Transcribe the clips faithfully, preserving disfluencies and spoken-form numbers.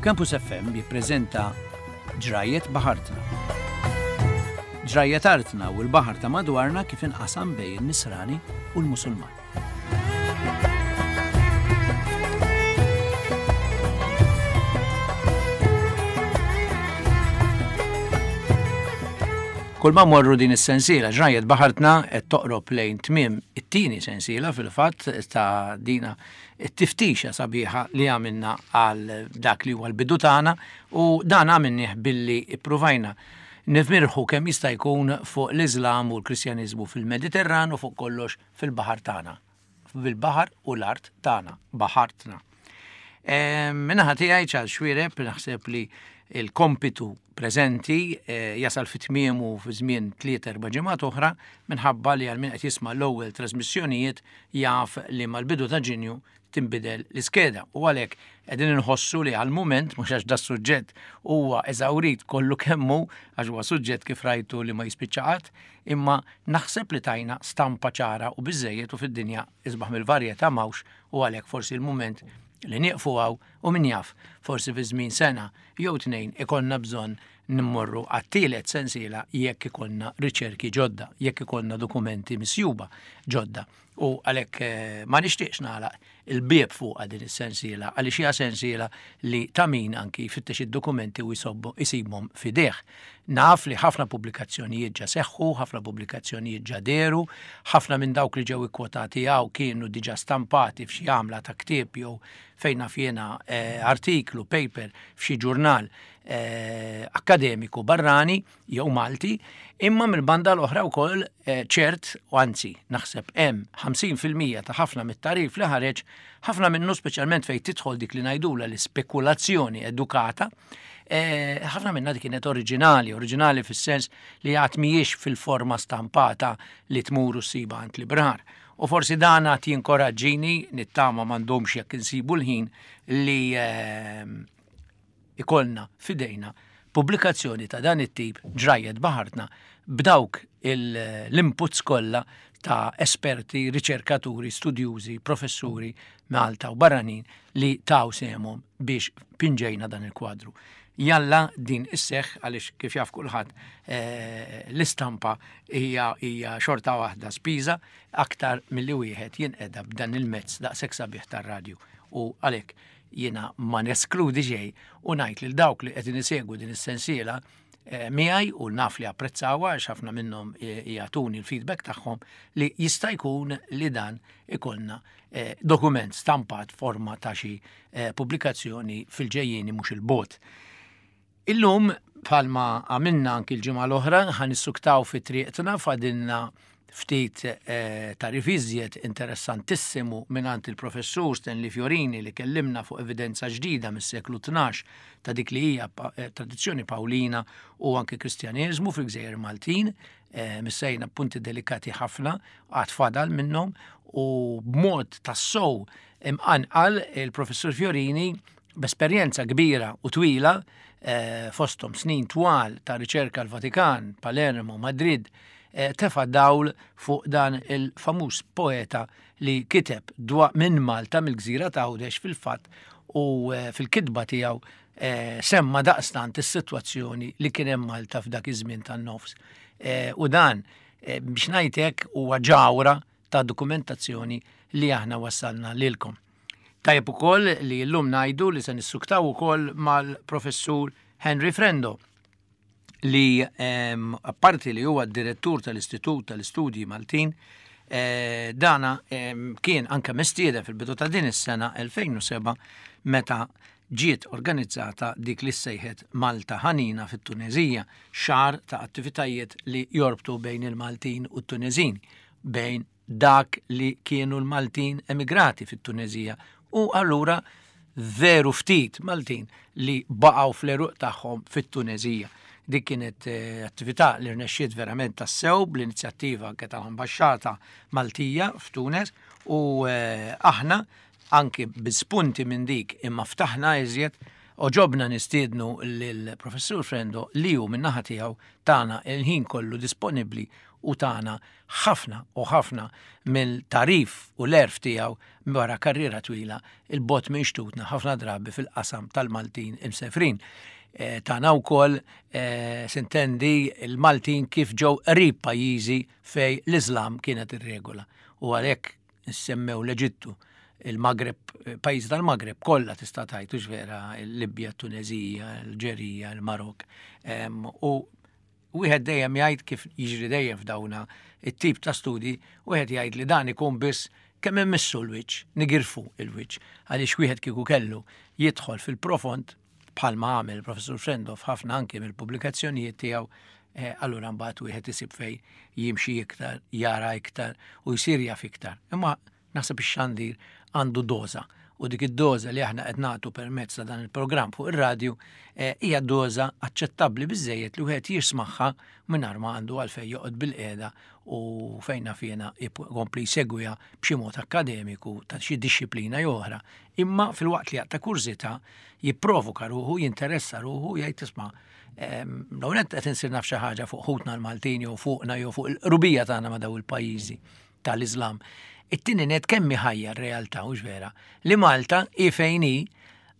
Campus F M jippreżenta Ġrajiet Baħartna. Ġrajiet artna u l-baħar ta' madwarna kif inqasam bejn in-Nisrani u l-Musulman. Kull ma morru din is-sensiela Ġrajiet Baħartna qed toqrob lejn tmiem it-tieni sensiela fil-fatt ta' dina it-tiftixa sabiħa li għamilna għal dak li huwa l-bidu tagħna, u dan għamilnieh billi ippruvajna nifmirħu kemm jista' jkun fuq l-Iżlam u l-Kristjaniżmu fil-Mediterran u fuq kollox fil-baħar tagħna. Fil-baħar u l-art tagħna, baħartna. Min-naħa tiegħi, Charles Xuereb, naħseb li il-kompitu preżenti eh, jasal fi tmiemu fi żmien tliet erba' ġimgħat oħra, minħabba li għal min qed jisma' l-ewwel trasmissjonijiet jaf li mal-bidu ta' Ġunju tinbidel l-iskeda, u għalhekk qegħdin inħossu li għal-mument, mhux għax da suġġett huwa eżawrit kollu kemmu, għax huwa suġġett kif rajtu li ma jispiċċa qatt, imma naħseb li tajna stampa ċara u biżejjed, u fid-dinja isbaħ mill-varjetà m'hawnx, u għalhekk forsi l-mument li nieqfu hawn, u min jaf, forsi fi żmien sena jew tnejn ikollna bżonn nimmorru għat-tielet sensiela jekk ikollna riċerki ġodda, jekk ikollna dokumenti misjuba ġodda. U għalhekk eh, ma nixtieqx nagħlaq il-bieb fuq din is-sensiela, għaliex hija sensiela li ta' min anki jfittex id-dokumenti u jsobbu isibhom fideh. Naf li ħafna pubblikazzjonijiet ġa seħħu, ħafna pubblikazzjonijiet ġa dehru, ħafna minn dawk li ġew ikkwotati hawn kienu diġà stampati f'xi għamla ta' ktieb jew fejn naf jiena eh, artiklu, paper f'xi ġurnal eh, akademiku barrani jew Malti, imma mill-banda l-oħra wkoll eh, ċert, u anzi naħseb hemm ħamsin fil-mija ta' ħafna mit-tagħrif li ħareġ, ħafna minnu, speċjalment fejn tidħol dik li ngħidula l-ispekulazzjoni edukata, eh, ħafna minna dik kienet oriġinali, oriġinali fis-sens li għad mhijiex fil-forma stampata li tmur u ssiba għand librar. U forsi dan għad jinkoraġġini, nittama m'għandhomx jekk insibu l-ħin li eh, ikollna fidejna pubblikazzjoni ta' dan it-tip, Ġrajiet Baħartna, b'dawk l-inputs kollha ta' esperti, riċerkaturi, studjużi, professuri Malta u barranin li taw sehemhom biex pinġejna dan il-kwadru. Jalla din isseħ, għaliex kif jaf kulħadd eh, l-istampa hija hija xorta waħda spiża aktar milli wieħed jinqeda b'dan il-mezz daqshekk sabiħ tar-radju. U għalhekk jiena ma neskludi xejn u ngħid lil dawk li qed isegwu din is-sensiela eh, miegħi u naf li apprezzawha, għax ħafna minnhom eh, jagħtuni l-feedback tagħhom, li jista' jkun li dan ikollna eh, dokument stampat forma ta' xi pubblikazzjoni fil-ġejjieni mhux il-bogħod. Illum, bħalma għamilna anki l-ġimgħa l-oħra, ħa nissuktaw fi triqtna. Fadilna ftit eh, ta' riviżjet interessantissimu mingħand il-professur Stanley Fiorini, li kellimna fuq evidenza ġdida mis-seklu tnax ta' dik li hija eh, tradizzjoni Pawlina u anke Kristjaneżmu fil-Gżejjer Maltin. Eh, missejna punti delikati ħafna, għad fadal minnhom, u b'mod tassow imqanqal il-professur Fiorini, b'esperjenza kbira u twila, eh, fosthom snin twal ta' riċerka l-Vatikan, Palermo, Madrid, eh, tefa dawl fuq dan il-famuż poeta li kiteb dwa minn Malta, mill-gżira ta' Għawdex fil-fatt, u eh, fil-kitba tiegħu eh, semma daqstant is-sitwazzjoni li kien hemm Malta f'dak iż-żmien tan-nofs. Eh, u dan eh, biex ngħidlek huwa ġawra ta' dokumentazzjoni li aħna wassalna lilkom. Tajjeb ukoll li llum ngħidu li se nissuktaw ukoll mal-professur Henry Frendo, li um, apparti li huwa d-direttur tal-Istitut tal-Istudji Maltin, eh, dana um, kien anka mistieden fil-bidu ta' din is-sena elfejn u sebgħa meta ġiet organizzata dik li sejħet Malta Ħanina fit-Tunezija, xahar ta' attivitajiet li jorbtu bejn il-Maltin u t-Tunezini, bejn dak li kienu l-Maltin emigrati fit-Tunezija u allura veru ftit Maltin li baqgħu fl-għeruq tagħhom fit-Tunezija. Dik kienet eh, attività li rnexxiet verament tassew bl-inizjattiva anke tal-Ambaxxata Maltija f'Tunes, u eh, aħna anki bi spunti minn dik imma ftaħna iżjed għoġobna nistiednu lill-professur Frendo, li hu min-naħa tiegħu tana il-ħin kollu disponibbli. u tana ħafna u ħafna mill-tagħrif u l-għerf tiegħu wara karriera twila 'il bogħod minn xtutna, ħafna drabi fil-qasam tal-Maltin imsefrin. E, tana wkoll e, sintendi il-Maltin kif ġew qrib pajjiżi fej l-Islam kienet ir-regola. U għalhekk semmew l-Eġittu, il-Magreb, pajjiżi tal-Magreb kollha tista' tgħid vera, il-Libja, Tunezija, l-Alġerija, il-Marok. U wieħed dejjem jgħid, kif jiġri dejjem f'dawna it-tip ta' studi, wieħed jgħid li dan ikun biss kemm immissu l-wiċċ, nigirfu il-wiċċ, għaliex wieħed kieku kellu jidħol fil-profond bħalma għamel professur Frendo f'ħafna anki mill-pubblikazzjonijiet tiegħu, eh, allura mbagħad wieħed isib fej jimxi iktar, jara iktar u jsir jaf iktar. Imma naħseb ix-xandir għandu doża u dik id-doża li aħna qed nagħtu permezz ta' dan il-programm fuq ir-radju eh, hija doża aċċettabbli biżejjed li wieħed jismagħha mingħajr ma għandu għalfejn joqgħod bil-qiegħda u fejna fjena jkompli jsegwiha b'xi mod akkademiku ta' xi dixxiplina jew oħra. Imma filwaqt li jaqta' kurżità, jipprovoka ruħu, jinteressa ruħu, jgħid, "Isma', l-għonet qed insir naf xi ħaġa fuq ħutna l-Maltin jew fuqna jew fuq il-qrubija tagħna ma' daw il-pajjiżi tal-Islam." It-tieni net, kemm ħajja r-realtà, hux vera, li Malta hi fejn hi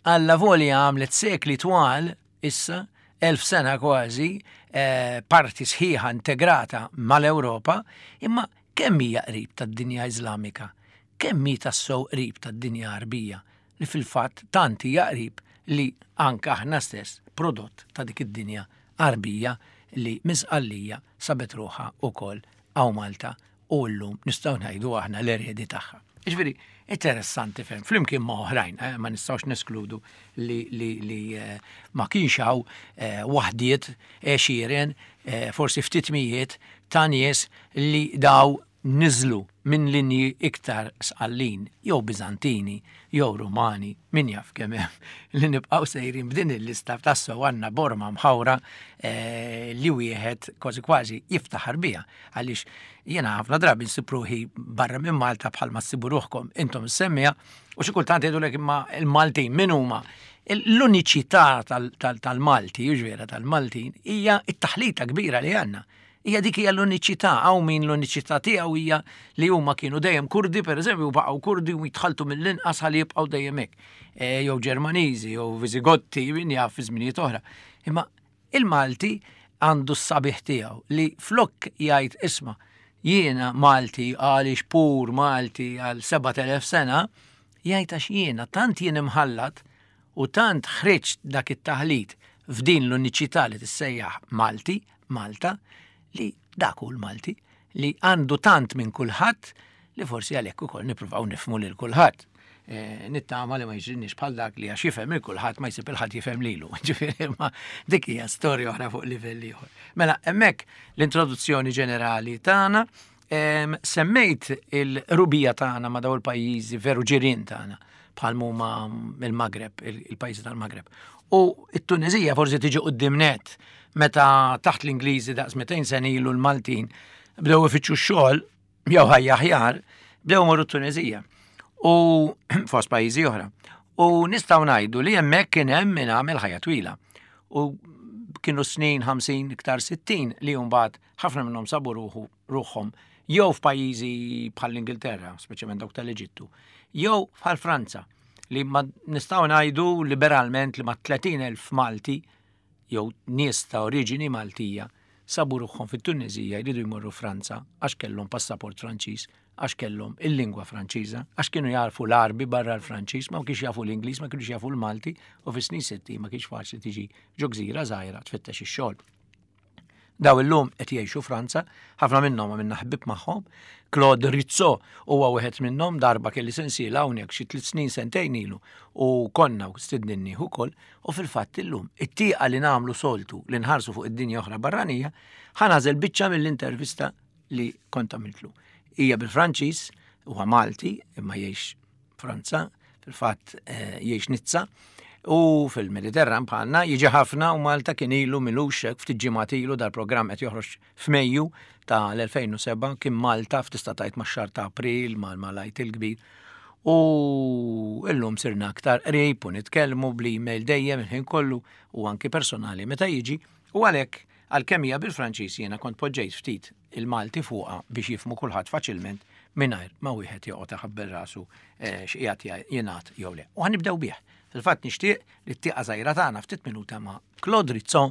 għalla volja għamlet sekli twal issa, elf sena kważi, eh, parti sħiħa integrata mal-Ewropa, imma kemm hija qrib tad-dinja Iżlamika, kemm hi tassew qrib tad-dinja Arbija, li fil-fatt tant hija qrib li anka aħna stess prodott ta' dik id-dinja Arbija li minn Sqallija sabet ruħha ukoll hawn Malta u llum nistgħu ngħidu aħna l-eredi tagħha. Ġifieri, interessanti ferm, flimkien ma' oħrajn, eh, ma nistgħux neskludu li, li, li eh, ma kienx hawn eh, waħdiet, għexieren, eh, forsi ftit mijiet ta' nies li daw niżlu minn linji iktar Sqallin, jew Bizantini, jew Rumani, min jaf kemm hemm li nibqgħu sejrin b'din il-lista, tassew għandna borma mħawra eh, li wieħed kważi kważi jiftaħar biha, għaliex jiena ħafna drabi nsib ruħi barra minn Malta bħalma ssibu ruħkom intom semmija u xi kultant jgħidulek, "Imma il-Maltin min huma?" L-uniċità tal-Malti, ġifieri tal-Maltin, hija it-taħlita kbira li għandna. Hija dik hija l-uniċità, hawn min l-uniċità tiegħu hija li huma kienu dejjem Kurdi, per eżempju, baqgħu Kurdi u jitħaltu mill-inqas ħalli jibqgħu dejjem hekk. E, jew Ġermaniżi, jew Viżigotti, min jaf fi żminijiet oħra. Imma il-Malti għandu s-sabiħ tiegħu li flok jgħid, "Isma', jiena Malti għaliex pur Malti għal sebat elef sena," jgħid, "Għax jiena tant jien imħallat u tant ħriġt dak it-taħlit f'din l-uniċità li tissejjaħ Malti, Malta, li dak hu l-Malti li għandu tant minn kulħadd li forsi għalhekk ukoll nippruvaw nifhmu lil kulħadd." E, nittama li ma jiġrinix bħal dak li għax jifhem il kulħadd ma jsib il ħadd jifhem lilu. Ġifieri, ma dik hija storja oħra fuq livell ieħor. Mela hemmhekk l-introduzzjoni ġenerali tagħna, em, semmejt il-qrubija tagħna ma' daw il-pajjiżi veru ġirien tagħna bħal huma il-Magreb, il-pajjiżi tal-Magreb. U it-Tunezija forsi tiġi quddiem net. Meta taħt l-Ingliżi daqs mitejn sena ilu l-Maltin bdew ifittxu x-xogħol jew ħajja aħjar, bdew morru t-Tunezija. U fost pajjiżi oħra. U nistgħu ngħidu li hemmhekk kien hemm min għamel ħajja twila. U kienu snin ħamsin, iktar sittin, li mbagħad ħafna minnhom sabu ruħu ruħhom jew f'pajjiżi bħal l-Ingilterra, speċjalment dawk tal-Eġittu, jew bħal Franza, li ma nistgħu ngħidu liberalment li ma tletin elf Malti jew nies ta' oriġini Maltija sabu ruħhom fit-Tunezija jridu jmorru Franza għax kellhom passaport Franċiż, għax kellhom il-lingwa Franċiża, għax kienu jarfu l-Arbi barra l-Franċiż, ma kienx jafu l-Ingliż, ma kienx jafu l-Malti, u fis-snin sitti ma kienx faċli tiġi ġo gżira żgħira tfittex ix-xogħol. Daw illum qed jgħixu Franza, ħafna minnhom għamilna ħbib magħhom. Claude Rizzo huwa wieħed minnhom, darba kelli sensiela hawnhekk xi tliet snin, sentejn ilu, u konna stidninni ukoll, u fil-fatt illum it-tieqa li nagħmlu soltu li nħarsu fuq id-dinja oħra barranija, ħa nagħżel biċċa mill-intervista li kont għamiltlu. Hija bil-Franċiż, huwa Malti imma jgħix Franza, fil-fatt eh, jgħix Nizza, u fil-Mediterran bħalna jiġi ħafna u Malta kien ilu milux ftit ġimgħat ilu, dal-programm qed joħroġ f'Mejju ta' l-elfejn u sebgħa, kien Malta f'tista' tgħid max-xahar ta' April mal-Għid il-Kbir. U illum sirna aktar qrib u nitkellmu bl-email dejjem il-ħin kollu u anki personali meta jiġi, u għalhekk Għalkemm hija bil-Franċiż, jiena kont poġġejt ftit il-Malti fuqha biex jifhmu kulħadd faċilment mingħajr ma wieħed joqgħod iħabbel rasu eh, x'qiegħed jingħad jew le. U ħa nibdew bih. Fil-fatt nixtieq li t-tieqa żgħira tagħna ftit minuta ma' Claude Rizzo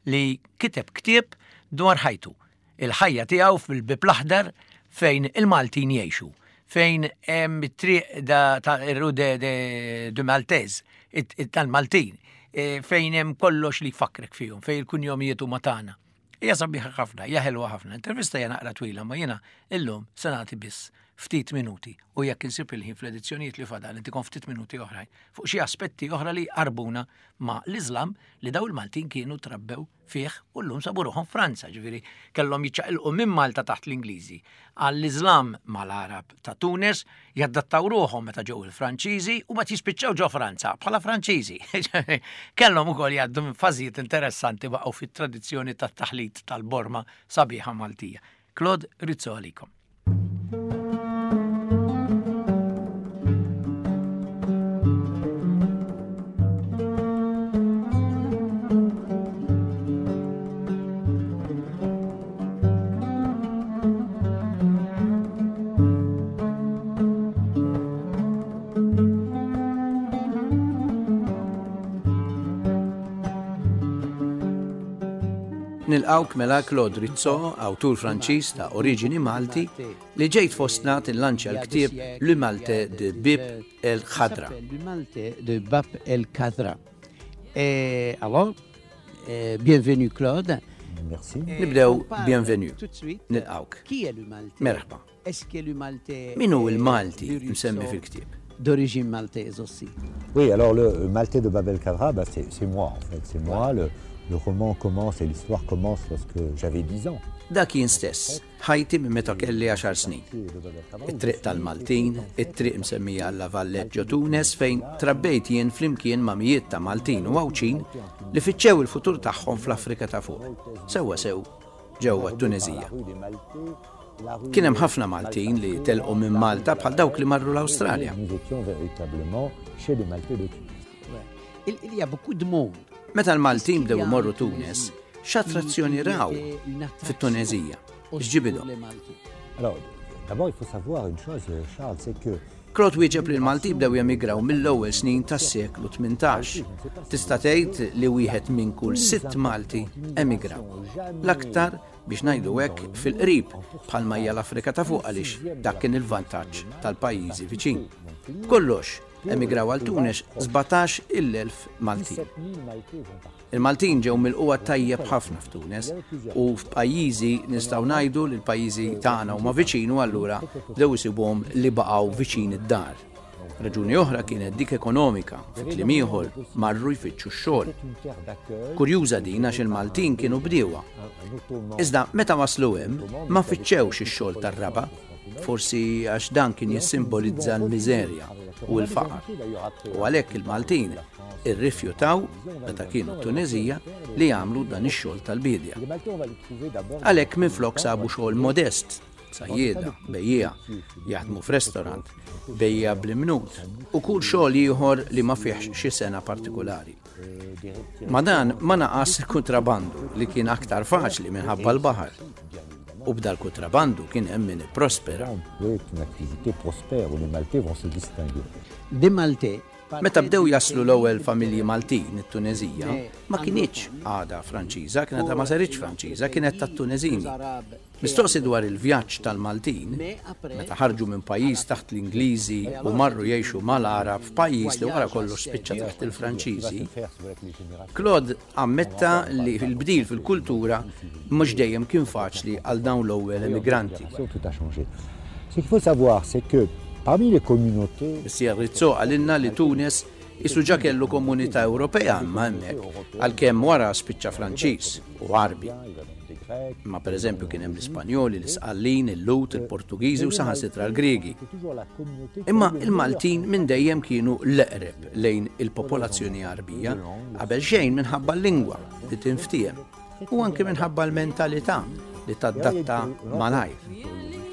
li kiteb ktieb dwar ħajtu. Il-ħajja tiegħu fil-Bib l-Aħdar fejn il-Maltin jgħixu, fejn hemm it-triq ta' rue de, de, de Maltese, tal-Maltin, e, fejn hemm kollox li jfakkrek fihom, fejn il-kunjomijiet huma tagħna. Hija sabiħa ħafna, hija ħelwa ħafna. Intervista hija naqra twila, ma jiena illum se nagħti biss ftit minuti u jekk insib il-ħin fl-edizzjonijiet li fadal intikom ftit minuti oħrajn fuq xi aspetti oħra li qarbuna ma' l-Islam li daw il-Maltin kienu trabbew fih u llum sabu ruħhom Franza, ġifieri kellhom jiċċaqilqu minn Malta taħt l-Ingliżi għall-Islam mal-Arab ta' Tunes, jaddattaw ruħhom meta ġew il-Franċiżi u mbagħad jispiċċaw ġo Franza bħala Franċiżi. Kellhom ukoll jgħaddu minn fażijiet interessanti, baqgħu fit-tradizzjoni tat-taħlit tal-borma sabiħa Maltija. Claude Rizzo għalikom. Nilqawk mela, Claude Rizzo, awtur Franċiż ta' oriġini Malti, li ġejt fostna tillanċja l-ktieb Le Maltais de Bab El Khadra. Le Maltais de Bab El Khadra. Et alors, euh, bienvenue, Claude. Merci. Nibdew bienvenue. Tout de suite. Nilqawk. Qui est le Maltais? Merħba. Est-ce que le Maltais Min hu il-Malti msemmi fil-ktieb? D'origine maltaise aussi? Oui, alors le Maltais de Bab El Khadra, bah, c'est c'est moi en fait. C'est moi. Le, le roman commence et l'histoire commence lorsque j'avais dix ans. Dak jien stess, ħajti minn meta kelli għaxar snin. It-triq tal-Maltin, it-triq msemmija għal La Valette ġo Tunes fejn trabbejt jien flimkien ma' mijiet ta' Maltin u Għawdxin li fittxew il-futur tagħhom fl-Afrika ta' fuq. Sewwa sew ġewwa t-Tunezija. Kien hemm ħafna Maltin li telqu minn Malta bħal dawk li marru l-Awstralja. Nous étions véritablement chez les Maltais de Tunis. Ouais. Il, il y a beaucoup de monde. Meta l-Maltin bdew imorru Tunes, x'attrazzjoni raw fit-Tunezija? X'ġibidhom? Alors, d'abord, il faut savoir une chose, Charles, c'est que Claude wieġeb li l-Malti bdew jemigraw mill-ewwel snin tas-seklu tmintax. Tista' tgħid li wieħed minn kull sitt Malti emigraw. L-aktar biex ngħidu hekk fil-qrib, bħalma hija l-Afrika ta' fuq, għaliex dak kien il-vantaġġ tal-pajjiżi viċin. Kollox emigraw għal Tunes sbatax il-elf Maltin. Il-Maltin ġew milqugħa tajjeb ħafna f'Tunes u f'pajjiżi nistgħu ngħidu li l-pajjiżi tagħna huma viċin u allura bdew isibuhom li baqgħu viċin id-dar. Raġuni oħra kienet dik ekonomika, fi kliem ieħor marru jfittxu x-xogħol. Kurjuża din għax il-Maltin kienu bdiewa. Iżda meta waslu hemm ma fittxewx ix-xogħol tar-raba, forsi għax dan kien jissimbolizza l-miżerja u l-faqar. U għalhekk il-Maltin irrifjutaw meta kienu Tunezija li jagħmlu dan ix-xogħol tal-bidja. Għalhekk minflok sabu xogħol modest, sajjieda, bejjiegħa, jaħdmu f'restorant, bejjiegħa bl-imnut u kull xogħol ieħor li ma fihx xi sena partikolari. Ma dan ma naqas il-kontrabandu li kien aktar faċli minħabba l-baħar. U b'dal kontrabandu kien hemm min ipprospera. Oui, une activité prospère où les Maltais vont se distinguer. Des Maltais. Meta bdew jaslu l-ewwel familji Maltin it-Tunezija, ma kinitx għada Franċiża, kienet ma saritx Franċiża, kienet tat-Tunezini. Mistoqsi dwar il-vjaġġ tal-Maltin, meta ħarġu minn pajjiż taħt l-Ingliżi u marru jgħixu mal-Arab f'pajjiż li wara kollox spiċċa taħt il-Franċiżi, Claude ammetta li l-bdil fil-kultura mhux dejjem kien faċli għal dawn l-ewwel emigranti. Tout a changé. Ce qu'il faut savoir, c'est que parmi les communautés Missier Rizzo qalilna li Tunes isu ġa kellu komunità Ewropea imma hemmhekk, għalkemm wara spiċċa Franċiż u Għarbi. Ma per eżempju kien hemm l-Ispanjoli, l-Isqallin, il-Lhud, il-Portugiżi u saħansitra l-Griegi. Imma il-Maltin minn dejjem kienu l-eqreb lejn il-popolazzjoni Għarbija, qabel xejn minħabba l-lingwa li tinftiehem u anke minħabba l-mentalità li tadatta malajr.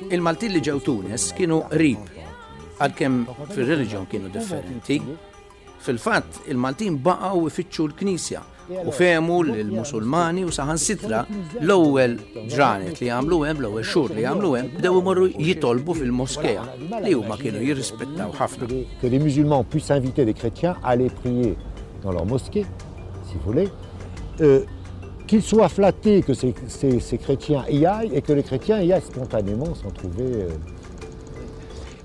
Il-Maltin li ġew Tunes kienu qrib, għalkemm fir-reliġjon kienu differenti. Fil-fatt, il-Maltin baqgħu ifittxu l-Knisja U fehmu l-Musulmani u saħansitra l-ewwel ġranet li għamlu hemm, l-ewwel xhur li għamlu hemm, bdew imorru jitolbu fil-moskea li huma kienu jirrispettaw ħafna. Que les musulmans puissent inviter les chrétiens à aller prier dans leur mosquée, si vous voulez, euh, qu'ils soient flattés que ces, ces, ces chrétiens y aillent et que les chrétiens y aillent spontanément sans trouver... Euh...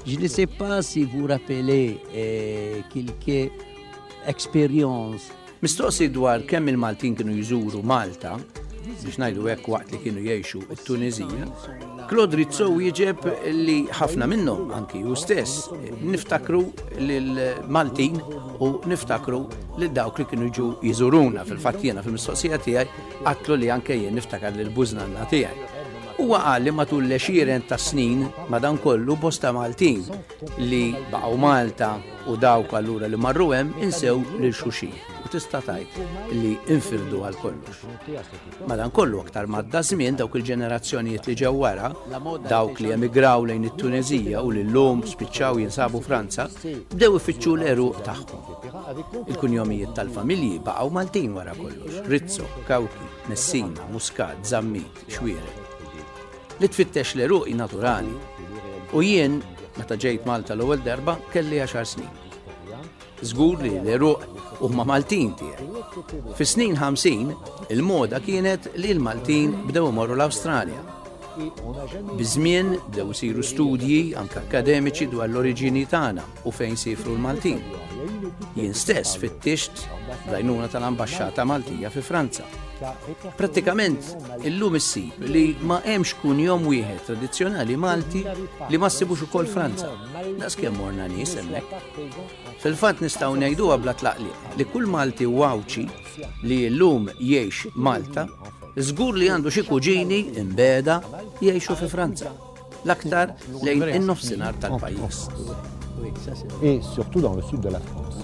Je ne sais pas si vous rappelez euh, quelque expérience. Mistoqsi dwar kemm il-Maltin kienu jżuru Malta, biex ngħidu hekk waqt li kienu jgħixu t-Tunezija, Claude Rizzo wieġeb li ħafna minnhom, anki hu stess, niftakru lill-Maltin u niftakru lil dawk li kienu jiġu jżuruna. Fil-fatt jiena fil-mistoqsija tiegħi għatlu li anke jien niftakar lil bużnanna tiegħi. Huwa qal li matul l-għexieren ta' snin madankollu bosta Maltin li baqgħu Malta u dawk allura li marru hemm insew lil xulxin u tista' tgħid li infirdu għal kollox. Madankollu aktar madda żmien dawk il-ġenerazzjonijiet li ġew wara, dawk li emigraw lejn it-Tunezija u li llum spiċċaw jinsabu Franza, bdew ifittxu l-għeruq tagħhom. Il-kunjomijiet tal-familji baqgħu Maltin wara kollox: Rizzo, Cauchi, Messina, Muscat, Zammit, Xuereb. Li tfittex l-għeruq naturali. U jien, meta ġejt Malta l-ewwel darba, kelli għaxar snin. Żgur li l-għeruq huma Maltin tiegħi. Fis-snin ħamsin, il-moda kienet li l-Maltin bdew imorru l-Awstralja. Biż-żmien bdew isiru studji anke akademiċi dwar l-oriġini tagħna u fejn sifru l-Maltin. Jien stess fittixt bl-għajnuna tal-Ambaxxata Maltija fi Franza. Prattikament illum issib li ma hemmx kunjom wieħed tradizzjonali Malti li ma ssibux ukoll Franza. Daqskemm morna nies hemmhekk. Fil-fatt nistgħu ngħiduha bla tlaqliq li kull Malti u Għawdxi li llum jgħix Malta żgur li għandu xi kuġini imbeda jgħixu fi Franza, l-aktar lejn in-nofsinhar tal-pajjiż. Et surtout dans le sud de la France.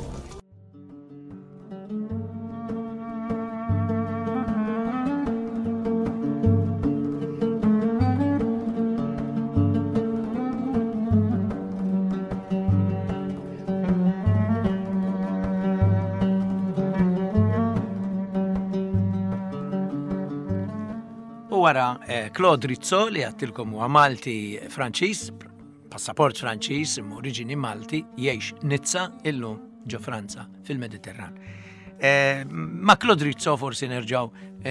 Wara Claude Rizzo li għattilkom huwa Malti Franċiż, passaport Franċiż, imma oriġini Malti, jgħix Nizza illum ġo Franza fil-Mediterran. Ma' Claude Rizzo forsi nerġgħu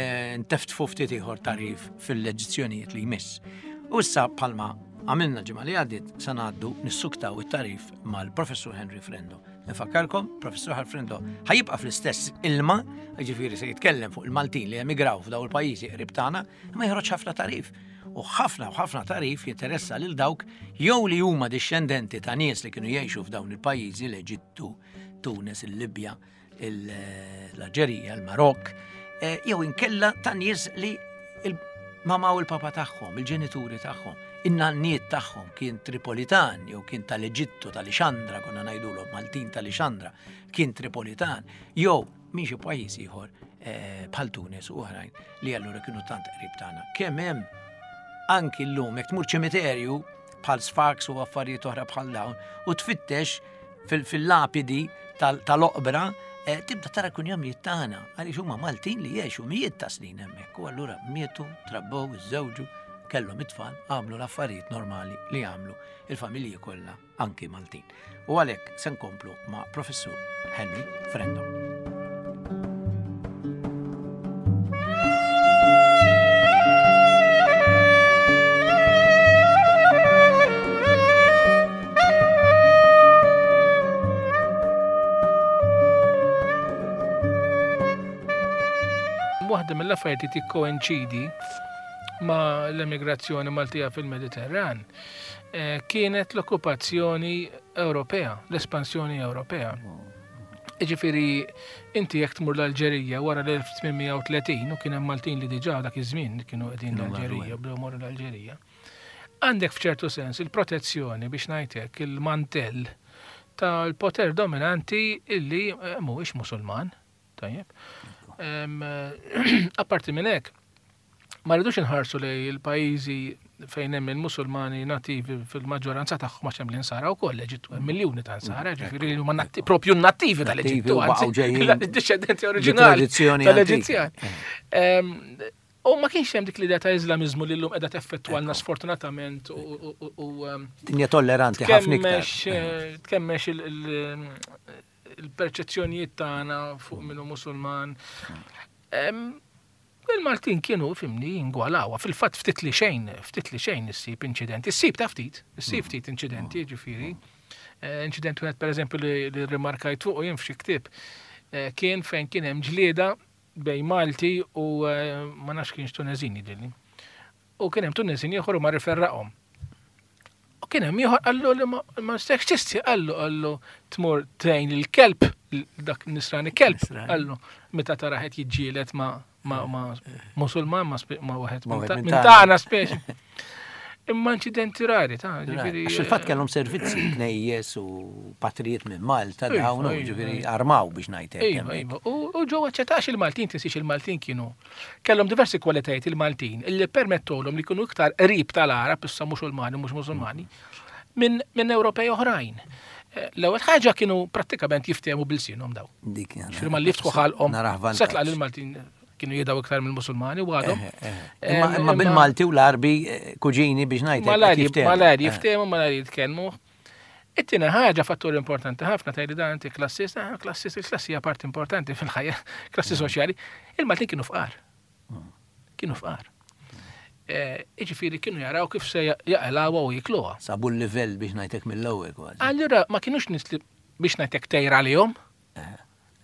nteftfu ftit ieħor tarif fil-leġizzjonijiet li jmiss. U issa bħalma għamilna ġimgħa li għaddiet se ngħaddu nissuktaw it-tarif mal-Professur Henry Frendo. Nfakkarkom, Professur Henry Frendo ħajibqa' fl-istess ilma, jiġifieri se jitkellem fuq il-Maltin li emigraw f'daw il-pajjiżi qrib tagħna, imma joħroġ ħafna tarif. U ħafna u ħafna tarif jinteressa lil dawk jew li huma dixxendenti ta' nies li kienu jgħixu f'dawn il-pajjiżi, l-Eġittu, Tunis, il-Libja, l-Alġerija, il-Marokk, jew inkella ta' nies li il-mama u l-papa tagħhom, il-ġenituri tagħhom, in-nanniet tagħhom kien Tripolitan jew kien tal-Eġittu, tal-Lixandra, konna ngħidulhom Maltin tal-Lixandra, kien Tripolitan, jew minn xi pajjiż ieħor bħal Tunis u oħrajn li allura kienu tant qrib tagħna. Kemm hemm anki llum jekk tmur ċimiterju bħal Sfax u affarijiet oħra bħal dawn u tfittex fil-lapidi tal-oqbra, tibda tara kunjomijiet tagħna għaliex huma Maltin li jgħixu mijiet ta' snin hemmhekk u allura mietu, trabbew, iżżewġu, kellhom it-tfal, għamlu l-affarijiet normali li għamlu il-familji kollha anki Maltin. U għalhekk se nkomplu ma' Professur Henry Frendo. Waħda mill-affarijiet li tikkoinċidi ma' l-emigrazzjoni Maltija fil-Mediterran kienet l-okkupazzjoni Ewropea, l-espansjoni Ewropea. Jiġifieri inti jekk tmur l-Alġerija wara l-elf tmien mija u tletin, u kien hemm Maltin li diġà dak iż-żmien kienu qegħdin l-Alġerija, bdew morru l-Alġerija. Għandek f'ċertu sens il-protezzjoni biex ngħidlek il-mantell tal-poter dominanti illi mhuwiex Musulman, tajjeb. Apparti minn hekk, ma rridux inħarsu lej il-pajjiżi fejn hemm il-Musulmani nativi fil-maġġoranza tagħhom, għax hemm l-Insara wkoll, l-Eġittu hemm miljuni ta' Nsara, ġifieri li huma natti- propju nativi tal-Eġittu, Nativi u baqgħu anzi, ġejjin id-discendenti oriġinali tradizzjoni tal-Eġizzjani. Em, U ma kienx hemm dik l-idea ta' Iżlamiżmu li llum qiegħda teffettwalna sfortunatament u- u- u- u em, Dinja tolleranti ħafna iktar. tkemmex eh, tkemmex il- il- il-perċezzjonijiet tagħna fuq minnu Musulman. Em, Il-Maltin kienu fhimni jingwalawha. Fil-fatt ftit li xejn, ftit li xejn issib inċidenti. Issib ta' ftit, issib ftit inċidenti, ġifieri. Eh, Inċident wieħed pereżempju li li rimarkajt fuq u jien f'xi ktieb eh, kien fejn kien hemm ġlieda bejn Malti u eh, ma nafx kienx Tunezini ġieli. U kien hemm Tunezini ieħor u mar iferraqhom. U kien hemm ieħor qallu li ma ma nistax tisti qallu qallu tmur tgħin il-kelb, dak nisrani kelb, Nisrani. qallu meta tara qed jiġġieled ma ma ma Musulman ma spe- ma wieħed Ma minn wieħed ta- minn minn tagħna. tagħna speċi. Imma inċidenti rari ta' ġifieri. Għax il-fatt kellhom servizzi knejjes u patrijiet minn Malta Iva, dawn u iva, ġifieri iva. armaw biex ngħid hekk. Iva, hemmhekk. iva. U u ġew aċċettax il-Maltin, tinsiex il-Maltin kienu. Kellhom diversi kwalitajiet il-Maltin illi permettolhom li kienu iktar qrib tal-Arab, issa Musulmani, mhux Musulmani, minn minn Ewropej oħrajn. Eh, L-ewwel ħaġa kienu prattikament jiftehmu b'ilsienhom daw. Dik Ġifieri ma li jiftħu ħalqhom. Narah vantaġġ. Setla l-Maltin kienu jidaw iktar mill-Musulmani u għadhom. Eh, eh. Imma imma bil-Malti u l-Arbi eh, kuġini biex ngħid hekk, Malajr jiftehmu. malajr Eh. jiftehmu, malajr jitkellmu. It-tieni ħaġa fattur importanti ħafna tgħidli dan inti klassist, ah, klassist, il-klassi hija parti importanti fil-ħajja, klassi soċjali. Il-Maltin kienu fqar. Kienu fqar. Eh, Iġifieri kienu jaraw kif se jaqilgħuha u jikluha. Sabu l-livell biex ngħidlek mill-ewwel kważi. Allura ma kienux nies li biex ngħidlek tejra għalihom.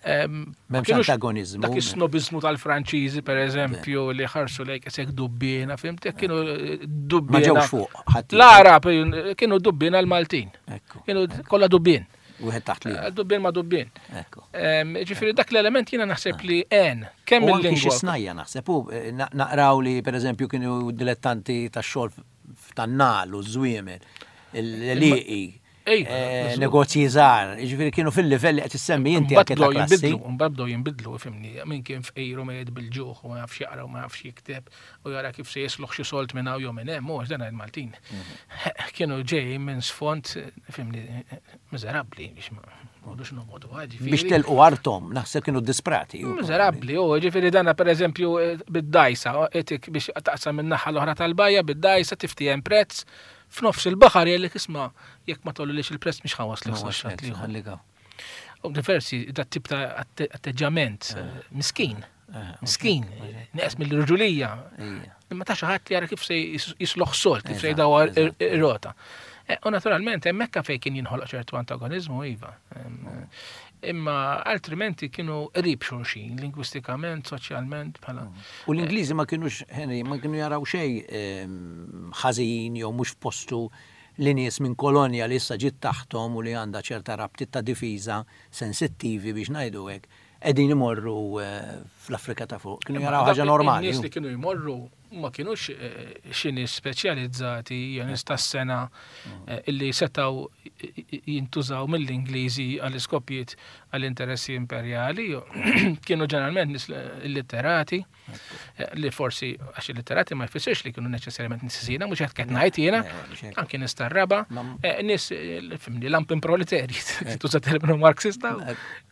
Em, ma M'hemmx kienux antagonizmu. Dak is-snobizmu tal-Franċiżi, per eżempju, li ħarsu lejk isek dubbina, fhimt? Kienu eh, dubbina. Ma ġewx fuq ħadd. L-Arab eh, kienu dubbina l-Maltin. Ekku. Kienu kollha dubbin. Wieħed taħt li. Eh, Dubbin ma dubbin. Ekku. Em, Ġifieri dak l-element jiena naħseb li għen, kemm U anki xi il-lingwa. snajja naħseb, u eh, na- naqraw li per eżempju kienu dilettanti tax-xogħol tan-nagħal u żwiemel, l-liqi, Ejja, eh, żgur. negozji żgħar, jiġifieri kienu fil-livell li qed issemmi inti Mbagħad anke ta' bdew klassi. jinbidlu, mbagħad bdew jinbidlu, fhimni, min kien fqir u mejjet bil-ġuħ u ma jafx jaqra u ma jafx jikteb u jara kif se jisloħ xi solt minn hawn jew minn hemm, mhux dan il-Maltin. Mhm. Kienu ġej minn sfond, fhimni, miżerabbli biex ma noqogħdux noqogħdu, ġifieri. Biex telqu artom, naħseb kienu disprati. u Miżerabbli, u ġifieri dana per eżempju bid-dajsa, etik biex taqsam minn naħa l-oħra tal-bajja, bid-dajsa tiftijem prezz, f'nofs il-baħar jgħidlek isma' jekk ma tollix il-prezz mhux ħa nwasslek Ma sa' waslek, ħallik hawn. U diversi dat tip ta' atte- atteġġament eh, miskin, Eh, miskin, neqes mill-rġulija. Ija. Imma ta' xi ħadd li jara kif se jis- jisloħ solt, kif se Eżatt, jdawar eżatt. ir-rota. Eh, U naturalment hemmhekk fejn kien jinħoloq ċertu antagonizmu iva. Em, Imma altrimenti kienu qrib xulxin, lingwistikament, soċjalment, bħala. U l-Ingliżi ma kienux, Henry, ma kienu jaraw xejn ehm, ħażin jew mhux f'postu li nies minn kolonja li issa ġiet taħtom u li għandha ċerta rabtiet ta' difiża sensittivi biex ngħidu hekk, qegħdin imorru eh, fl-Afrika ta' fuq. Kienu jaraw ħaġa normali. Nies li kienu jmorru ma kienux eh, xi nies speċjalizzati jew nies tas-sena eh, illi setaw jintużaw mill-Ingliżi għall-iskopijiet għall-interessi imperjali. Kienu ġeneralment nies illitterati eh, li forsi għax illitterati ma jfissirx li kienu neċessarjament nies ħżiena, mhux qed ngħid jiena, Le, mhux hekk. anke nies tar-raba, Ma- eh, nies eh, fhimni lumpenproletari, tuża terminu marxista,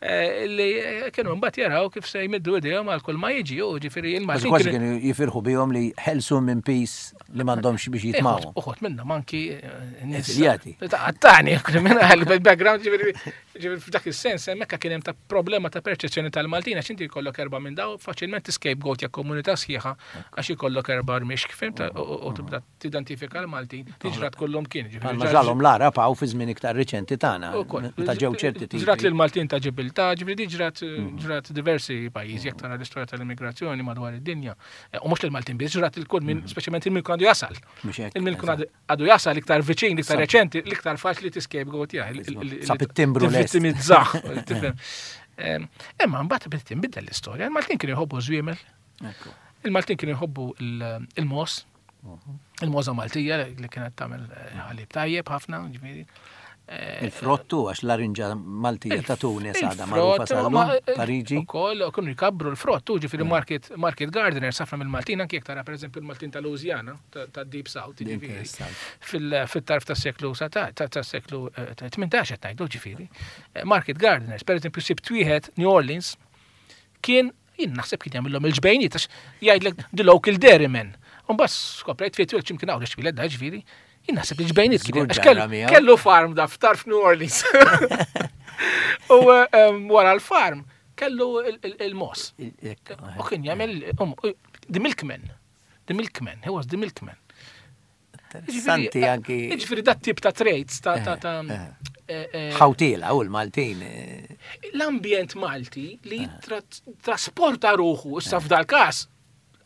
eh, li eh, kienu mbagħad jaraw kif se jmiddu idejhom għal kull ma jiġi, u ġifieri Kważi il-Maltin kważi kienu- kienu jifirħu bihom li ħelsu minn pis li m'għandhomx biex jitmawhom. Uħod minna manki eh, nies- Eżiljati. Ta' Għattani, kriminali, background, ġifieri, ġifieri f'dak is-sens, hemmhekk kien hemm ta' problema ta' perċezzjoni tal-Maltin, għax inti jkollok erba' minn daw, faċilment scapegoat ja komunità sħiħa għax ikollok erba' rmix, fhimt, u- u u tibda tidentifika l-Maltin, tiġrat kollhom kien. ġifieri Bħalma ġar- ġralhom l-Arab hawn fi żmien iktar riċenti tagħna, Ukoll. meta ġew ċerti tipi. Ġrat lil Maltin ta' Ġibiltà, ġifieri di ġrat ġrat diversi pajjiżi jekk tara l-istorja tal-immigrazzjoni madwar id-dinja. Eh, U mhux lil Maltin biss, ġrat il kull min speċjalment il-min kun għandu jasal. Mhux hekk, Il-min kun eżatt. għadu għadu jasal iktar viċin, iktar reċenti, l-iktar faċli tiscapegoat jah. Sab it-timbru lest. Tivvittimizzah, tifhem. Em, Imma mbagħad bdiet tinbidel l-istorja. Il-Maltin kienu jħobbu żwiemel, Ekku. il-Maltin kienu jħobbu il- il-mos, il-moza Maltija li kienet tagħmel eh, ħalib tajjeb ħafna, ġifieri. Il-frottu, għax l-arinġa Maltija ta' Tunis għadha magħrufa sal-lum, Pariġi. Ukoll kienu jkabbru l-frott, ġifieri market, market gardeners ħafna mill-Maltin, anki jekk tara pereżempju l-Maltin ta' Louisiana, ta' Deep South, ġifieri. Fil-tarf tas-seklu tas-seklu tmintax qed ngħidu, ġifieri. Market gardeners, pereżempju sibt wieħed New Orleans, kien jien naħseb kien jagħmilhom il-ġbejniet għax jgħidlek the local dairyman. U mbagħad skoprejt fejn twil x'imkien hawn x'wieled da ġifieri. Jien naħseb li ġbejniet kien kellu farm da f'tarf New Orleans. U wara l-farm kellu il-mos. U kien jagħmel the milkman. The milkman, he was the milkman. Interessanti anki. Ġifieri dat tip ta' trades ta' ta' ħawtila u l-Maltin. L-ambjent Malti li trasporta ruħu issa f'dal każ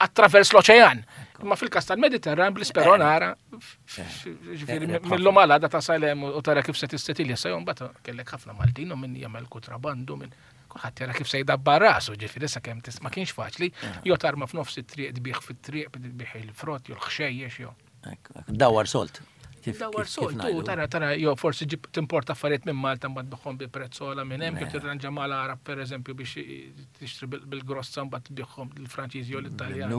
attravers l-oċean. Imma fil-każ tal-Mediterran bl-isperonara, ġifieri mill-lum għal għada tasal hemm u tara kif se tissetilja sa jum mbagħad kellek ħafna Maltin u min jagħmel kontrabandu minn kulħadd jara kif se jdabbar rasu, ġifieri sa kemm ma kienx faċli, jew tarma f'nofs it-triq tbih fit-triq tbih il-frott jew l-ħxejjex jew. Dawar solt. Dawar solt, u tara tara jew forsi ġib timporta affarijiet minn Malta mbagħad tbiħhom bi prezz ogħla minn hemm, kif tirranġa mal-Arab pereżempju biex tixtri bil-grossa mbagħad tbiħhom lill-Franċiżi jew l-Italjani.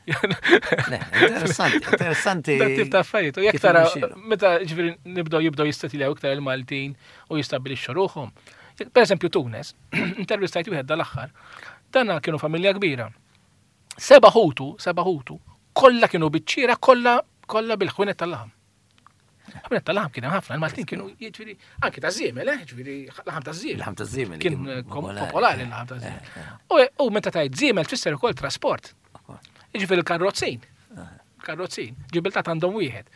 Interessanti, interessanti. Dat tip ta' affarijiet. U jekk tara meta ġifieri nibdew jibdew jistatiljaw iktar il-Maltin u jistabbilixxu ruħhom. Pereżempju Tunes, intervistajt wieħed dal-aħħar, dana kienu familja kbira. Seba' ħutu, seba' ħutu, kollha kienu biċċiera, kollha kollha bil-ħwienet tal-laħam. Ħwienet tal-laħam kien hemm ħafna, il-Maltin kienu jiġifieri anke ta' żiemel, eh, jiġifieri laħam ta' żiemel. Laħam ta' żiemel kien popolari l-laħam ta' żiemel. U meta tgħid żiemel tfisser ukoll trasport. Jiġifieri l-karrozzin. Karrozzin, Ġibiltà għandhom wieħed.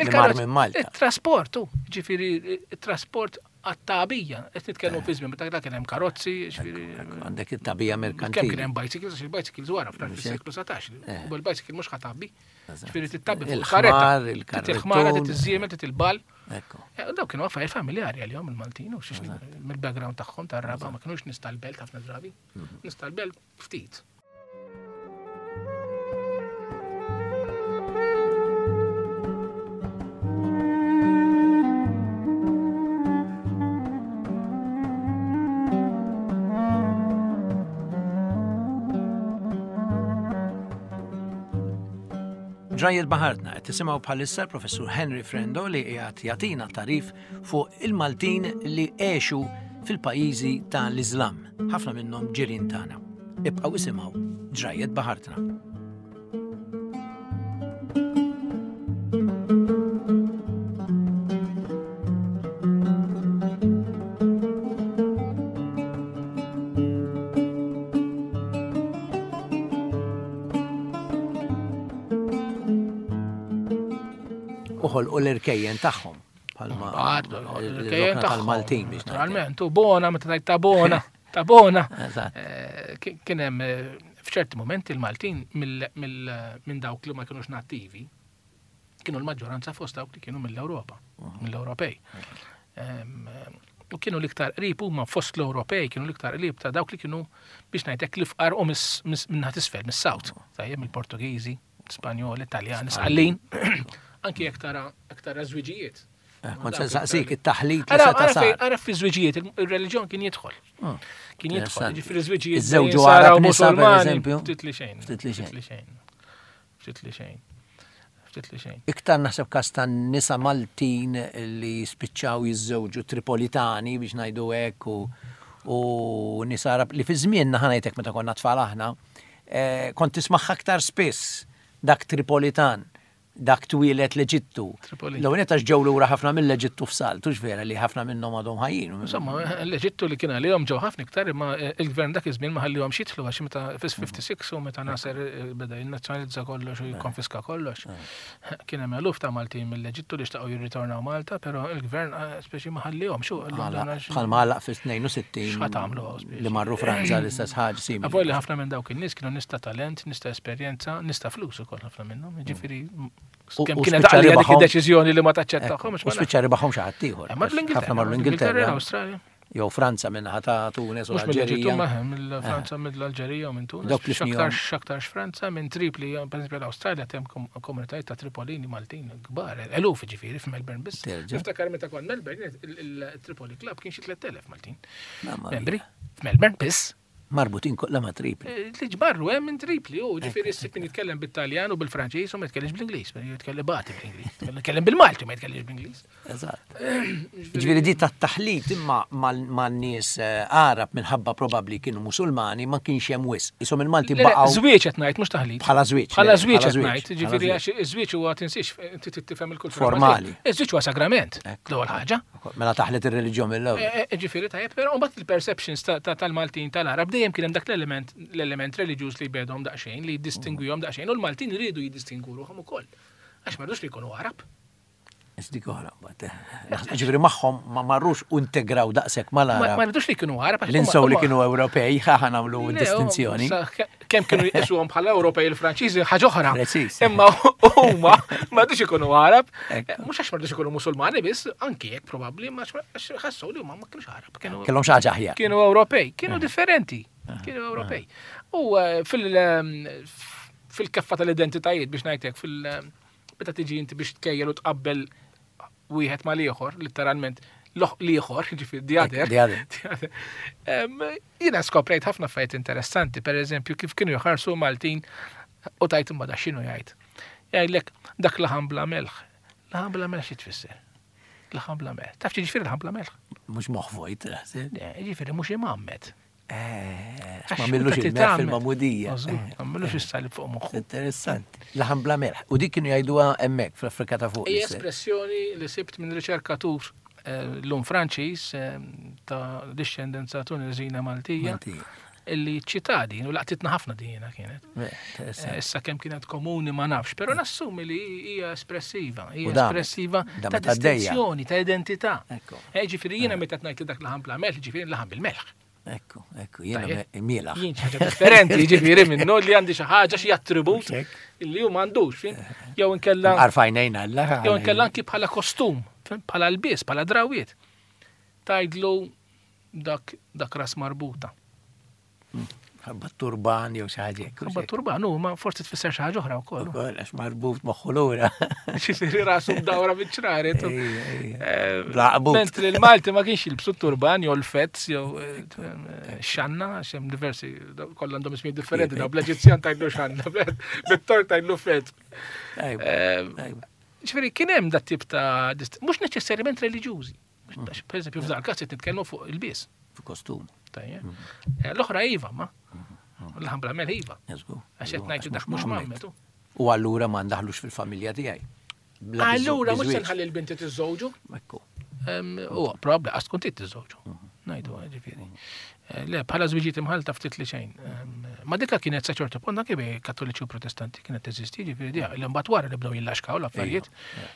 Il-trasport, ġifieri il-trasport għat-tagħbija, qed nitkellmu fi żmien meta dak kien hemm karozzi, ġifieri. Għandek it-tagħbija merkantili. Kemm kien hemm bicycles, għax il-bicycles wara fis-seklu satax. U bil-bicycle mhux ħatabbi. Ġifieri tittabbi fuq il-karretta. Il-ħmara, titiżżiemel, titilbal. Dawk kienu affarijiet familjari għalihom il-Maltin u xiex mill-background tagħhom tar-raba ma kinux nies tal-belt ħafna drabi. Nies tal-belt ftit. Ġrajjiet Baħartna qed tisimgħu bħalissa l-Professur Henry Frendo li qiegħed jagħtina tarif fuq il-Maltin li għexu fil-pajjiżi tal-Iżlam, ħafna minnhom ġirien tagħna. Ibqgħu isimgħu Ġrajjiet Baħartna. U l-irkejjen tagħhom bħalma l-irkejjen tal-Maltin biex naturalment, u bona meta tgħid ta' bona, ta' bona. Kien hemm f'ċerti momenti il-Maltin minn dawk li ma kinux nattivi kienu l-maġġoranza fost dawk li kienu mill-Ewropa, mill-Ewropej. U kienu l-iktar qrib huma fost l-Ewropej, kienu l-iktar qrib ta' dawk li kienu biex ngħidlek l-ifqar u minn isfel, mis-South, tajjeb mill-Portugiżi, Spanjoli, Italjani, Sqallin. Anki jekk tara jekk tara żwiġijiet. Kont se nsaqsik it-taħlit li seta' sar. Ara fi żwiġijiet ir-reliġjon kien jidħol. Kien jidħol, ġifieri żwiġijiet. Iżżewġu Arab nisa pereżempju. Ftit li xejn. Ftit li xejn. Ftit li xejn. Ftit li xejn. Iktar naħseb każ ta' nisa Maltin li spiċċaw jiżżewġu Tripolitani biex ngħidu hekk u nisa Arab li fi żmienna ħa ngħidlek meta konna tfal aħna, kont tismagħha aktar spiss dak Tripolitan. Dak twieled l-Eġittu. L-ewwel għax ġew lura ħafna mill-Eġittu f'salt, hux vera li ħafna minnhom għadhom ħajjin. Insomma, l-Eġittu li kien għalihom ġew ħafna iktar imma il-gvern dak iż-żmien ma ħallihomx jidħlu għax meta fis-fifty-six u meta Nasser beda jinnazzjonalizza kollox u jikkonfiska kollox. Kien hemm eluf ta' Maltin mill-Eġittu li xtaqgħu jirritornaw Malta, però il-gvern speċi ma ħallihomx. Bħalma għalaq fis-tnejn u sittin li marru Franza l-istess ħaġa simili. Avolja ħafna minn dawk in-nies kienu nies ta' talent, nies ta' esperjenza, nies ta' flus ukoll ħafna minnhom. Jiġifieri kemm kienet għalija dik id-deċiżjoni li ma taċċettahomx. U spiċċa ribaħhom xi ħadd ieħor. Ħafna marru l-Ingilterra. L-Awstralja. Jew Franza min-naħa ta' Tunis u Mhux mill-Eġittu l-Alġerija. maħem, mill-Franza, mill-Alġerija u minn Tunis. Dawk li fnihom. X'aktarx x'aktarx Franza minn Tripli, per esempio l-Awstralja hemm kom- komunitajiet ta' Tripolini Maltin kbar, eluf ġifieri f'Melbourne biss. Terġa'. Niftakar meta kont Melbourne, il- il-Tripoli Club kien xi tliet elef Maltin. Mamma mia. Membri, f'Melbourne biss. Marbutin kollha ma' Tripli. Eh, Li ġbarru hemm minn Tripli, u ġifieri ssib min jitkellem bit-Taljan u bil-Franċiż u ma jitkellimx bl-Ingliż, jitkellem bati bl-Ingliż, jitkellem bil-Malti ma jitkellimx bl-Ingliż. Eżatt. Ġifieri di tat-taħlit imma mal- man-nies eh, Arab minħabba probabbli kienu Musulmani ma kienx hemm wisq. Isom il-Malti Le, le, baqgħu Żwieġ qed ngħid mhux taħlit. bħala żwieġ. Bħala le, żwieġ qed bħala ngħid, ġifieri bħala għax iż-żwieġ huwa tinsiex inti tifhem il-kultura. Formali. Iż-żwieġ huwa sagrament, Ekku. l-ewwel ħaġa. żwieġ. Mela taħlet ir-reliġjon mill-ewwel. Eh, eh, Ġifieri tajjeb, però mbagħad il-perceptions ta- ta- tal-Maltin tal-Arab dejjem kien hemm dak l-element l-element reliġjuż li jbedhom daqsxejn, li jiddistingwihom daqsxejn, u l-Maltin iridu jiddistingwu ruħhom ukoll. Għax ma rridux li jkunu Arab. Dik oħra mbagħad. eh. Ġifieri magħhom ma marrux u integraw daqshekk Ma ma mal-Arab. rridux li jkunu Arab. għax L-insew li huma- huma- kienu Ewropej, ħa nagħmlu Le, distinzjoni. sa- ke- Kemm kienu jqisuhom bħala Ewropej il-Franċiżi ħaġa oħra. Preċiż. Imma huma ma rridux ikunu Arab. Ekku. Eh, Mhux għax ma rridux ikunu Musulmani biss, anki jekk probabbli, ma għax ħassew li huma ma kienux Arab. Kienu Kellhom xi ħaġa aħjar. kienu Ewropej, kienu differenti, kienu Ewropej. U eh, fil- eh, fil-keffa tal-identitajiet biex ngħidlek fil- eh, meta tiġi inti biex tkejjel u tqabbel wieħed mal-ieħor, letteralment loħ l-ieħor, ġifieri the other. The other. The other. Em, Jiena skoprejt ħafna affarijiet interessanti, per eżempju, kif kienu jħarsu Maltin u tajt imma da x'inhu jgħid. Jgħidlek dak laħam bla melħ. Laħam bla melħ xi tfisser? Laħam bla melħ. Taf xi ġifieri laħam bla melħ? Mhux moħħ vojt. naħseb. Le, Ġifieri mhux imgħammed. Eh, Għax Ma millux meta il-melħ titgħammed- fil-magħmudija. Żgur, Ma millux is-salib fuq moħħu. Interessanti. Laħam bla melħ. U dik kienu jgħiduha hemmhekk fl-Afrika ta' fuq. Hija l-istess. espressjoni li sibt minn riċerkatur eh, l-lum Franċiż eh, ta' discendenza Tunisina Maltija Maltija. illi ċitadin u laqtitna ħafna dina kienet. Eh, Eh, Interessanti. Issa kemm kienet komuni ma nafx, però nassumi li hija espressiva, U hija damet. espressiva ta' Damet għaddejja. distinzjoni, ta' identità. Ekku. Eh, Ġifieri jiena meta ngħid li dak laħam bla melħ, ġifieri laħam bil-melħ. Ekku, ekku, jiena Tajjeb. me- mielaħ. Jien xi ħaġa differenti, ġifieri minnu li għandi xi ħaġa xi attribut Hekk. illi hu m'għandux, fim? Jew inkella Arfajnejna alla. jew inkella anki bħala kostum, fim? Bħala lbies, bħala drawiet. Tajdlu dak dak ras marbuta. Ħabba turban jew xi ħaġa hekk. Ħabba turban, hu ma forsi tfisser xi ħaġa oħra wkoll. Ukoll, għax marbut moħħu lura. Ġifieri rasu mdawra biċ-ċraret. u- Ejja, ejja. Eh, Bla qbut. Mentri l-Malti ma kienx jilbsu turban jew l-fetz jew eh, eh, xanna, għax hemm diversi, daw- kollha għandhom ismijiet differenti, daw bl-Eġizzjan tajlu xanna, bit-Tork tajlu fetz. Ejwa, Eh, ejwa. Ġifieri kien hemm dat tip ta' dist- mhux neċessarjament reliġjużi. Għax, Per eżempju, f'dan il-każ qed nitkellmu fuq il-bies. Fu kostum. Tajjeb. Eh, L-oħra iva, ma. L-ħam bla melħ iva. Jeżgu. Għax qed ngħidu dak mhux mammetu. U allura ma ndaħlux fil-familja tiegħi. Bla biżu- Allura mhux se biżwieġ. nħalli l-binti tiżżewġu. Ekku. U probabbli għax tkun trid tiżżewġu. Ngħidu ġifieri. Eh, Le, bħala żwiġiet imħalta ftit li xejn. Em, Ma dikka kienet sa ċertu punt anke bejn kattoliċi u protestanti kienet teżisti, ġifieri di, li mbagħad wara li bdew jillaxkaw l-affarijiet.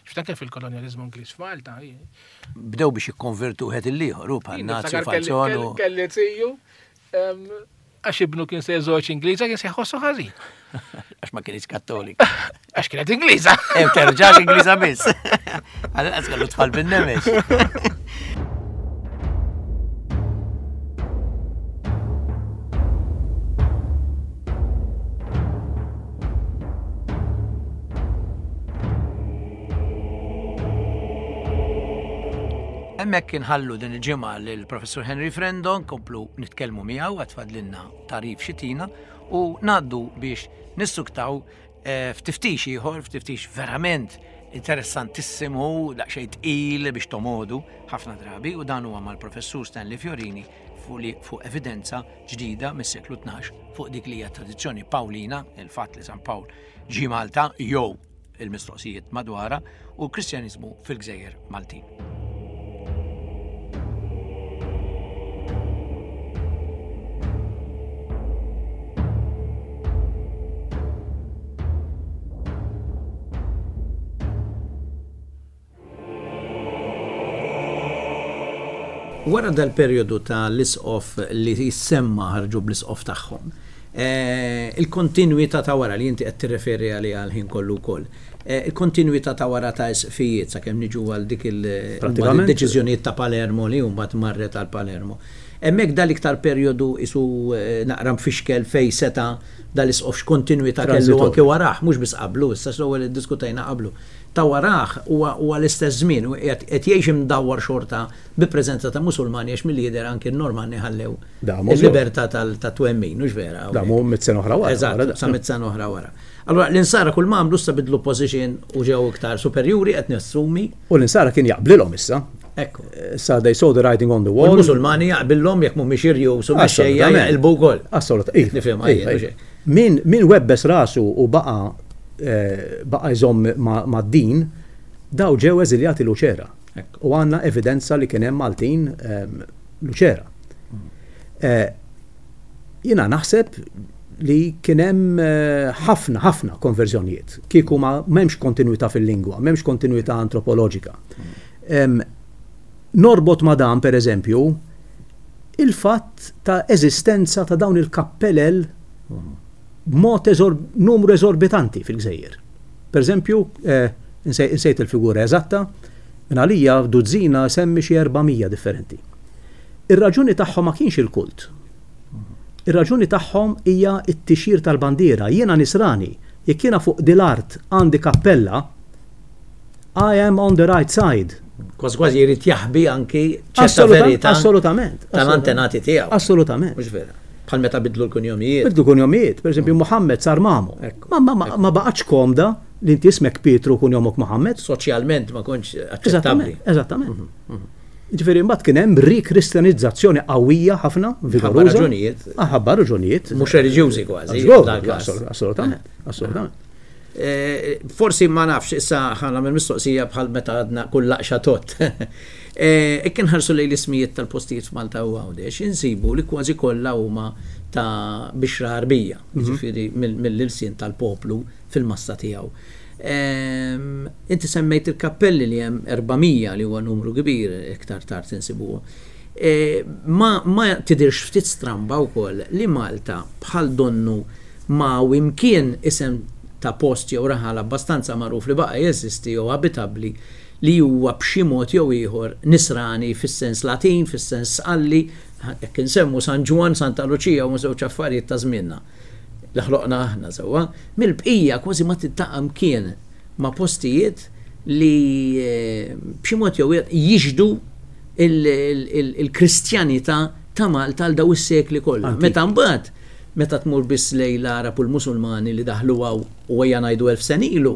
Xifta anke fil-kolonjaliżmu Ingliż f'Malta. hi- Bdew biex jikkonvertu wieħed il-ieħor, u bħal Jien Nazi niftakar kelli- Falzon kelli- u. Kelli tiju, em, għax ibnu kien se jżewġ Ingliża kien se jħossu ħażin. Għax ma kienx kattolik. Għax kienet Ingliża. Em terġax Ingliża biss. Għal inqas kellu tfal bin-nemex. Hemmhekk inħallu din il-ġimgħa lill-Professur Henry Frendo nkomplu nitkellmu miegħu għad fadlilna tarif xitina u ngħaddu biex nissuktaw eh, f'tiftix ieħor, f'tiftix verament interessantissimu, daqsxejn tqil biex tomodu ħafna drabi u dan huwa mal-Professur Stanley Fiorini fuq li- fuq evidenza ġdida mis-seklu tnax fuq dik li hija tradizzjoni Pawlina, il-fatt li San Pawl ġie Malta jew il-mistoqsijiet madwara u l-Kristjaniżmu fil-Gżejjer Maltin. Wara dal-perjodu ta' l-isqof li jissemma ħarġu bl-isqof tagħhom, Il-kontinuità ta' wara li inti qed tirreferi għaliha għal ħin kollu wkoll. Il-kontinuità ta' wara ta' isqfijiet sakemm niġu għal dik il-deċiżjonijiet ta' Palermo li mbagħad marret għal Palermo. Hemmhekk dal-iktar perjodu isu naqra mfixkel fej seta' dal-isqof x'kontinuità kellu anke warah, mhux biss qablu, issa l-ewwel iddiskutejna qablu. Ta' warah huwa l-istess żmien u qed jgħix imdawwar xorta bi preżenza ta' Musulmani għax milli jidher anke n-Normanni ħallew il-libertà tat-twemmin, mhux vera? Damu mitt sena oħra wara. Eżatt, sa mitt sena oħra wara. Allura l-insara kull ma għamlu issa bidlu position u ġew iktar superjuri qed nassumi. U l-insara kien jaqblilhom issa. Ekku. Sa they saw the writing on the wall. U l-Musulmani jaqbillhom jekk mhumiex irjus u mexxejja jaqilbu wkoll. Assolutament. Nifhem jien. Min min webbes rasu u baqa' baqa' jżomm mad-din, daw ġew eżiljati Luċera. U għandna evidenza li kien hemm Maltin Luċera. Jiena naħseb li kien hemm ħafna ħafna konverżjonijiet. Kieku ma m'hemmx kontinuità fil-lingwa, m'hemmx kontinuità antropoloġika. Norbot ma dan, per eżempju, il-fatt ta' eżistenza ta' dawn il-kappellel b'mod numru eżorbitanti fil-gżejjer. Per eżempju, insejt il-figura eżatta, minn għalija duzzina semmi xi erba' mija differenti. Ir-raġuni tagħhom ma kienx il-kult. Ir-raġuni tagħhom hija t-tixjir tal-bandiera. Jiena nisrani, jekk jiena fuq dil-art għandi kappella, I am on the right side. Kważi kważi jrid jaħbi anki ċerta verità. Assolutament. Tal-antenati tiegħu. Assolutament. Mhux vera. Bħal meta bidlu l-kunjomijiet. Bidlu kunjomijiet, per eżempju Muhammed sar Mamu. Ma ma baqgħetx komda li inti ismek Pietru kunjomok Muhammed. Soċjalment ma kontx aċċettabbli. Eżattament. Ġifieri mbagħad kien hemm rikristjanizzazzjoni qawwija ħafna, vigoruża. Raġunijiet. Ħabba raġunijiet. Mhux reliġjużi kważi. Assolutament, assolutament. Forsi ma nafx, issa ħana mill mistoqsija bħal meta għadna kull laqxa tot. Jekk inħarsu lejn l-ismijiet tal-postijiet f'Malta u Għawdex, insibu li kważi kollha huma ta' bixra Għarbija, jiġifieri mill-ilsien tal-poplu fil-massa tiegħu. Inti semmejt il-kappelli li hemm erba' mija li huwa numru kbir iktar tard insibuh. Ma ma tidirx ftit stramba wkoll li Malta bħal donnu ma imkien isem ta' post jew raħal abbastanza magħruf li baqa' jeżisti jew abitabbli li huwa b'xi mod jew ieħor nisrani fis-sens Latin, fis-sens Sqalli, jekk insemmu San Ġwann, Santa Luċija huma żewġ affarijiet ta' żmienna li ħloqna aħna sewwa, mill-bqija kważi ma tiltaqa' mkien ma' postijiet li b'xi mod jew ieħor jixhdu il-Kristjanità ta' Malta għal daw is-sekli kollha. Meta mbagħad meta tmur biss lejn l-Arab u l-Musulmani li daħlu hawn u ejja ngħidu elf sen ilu,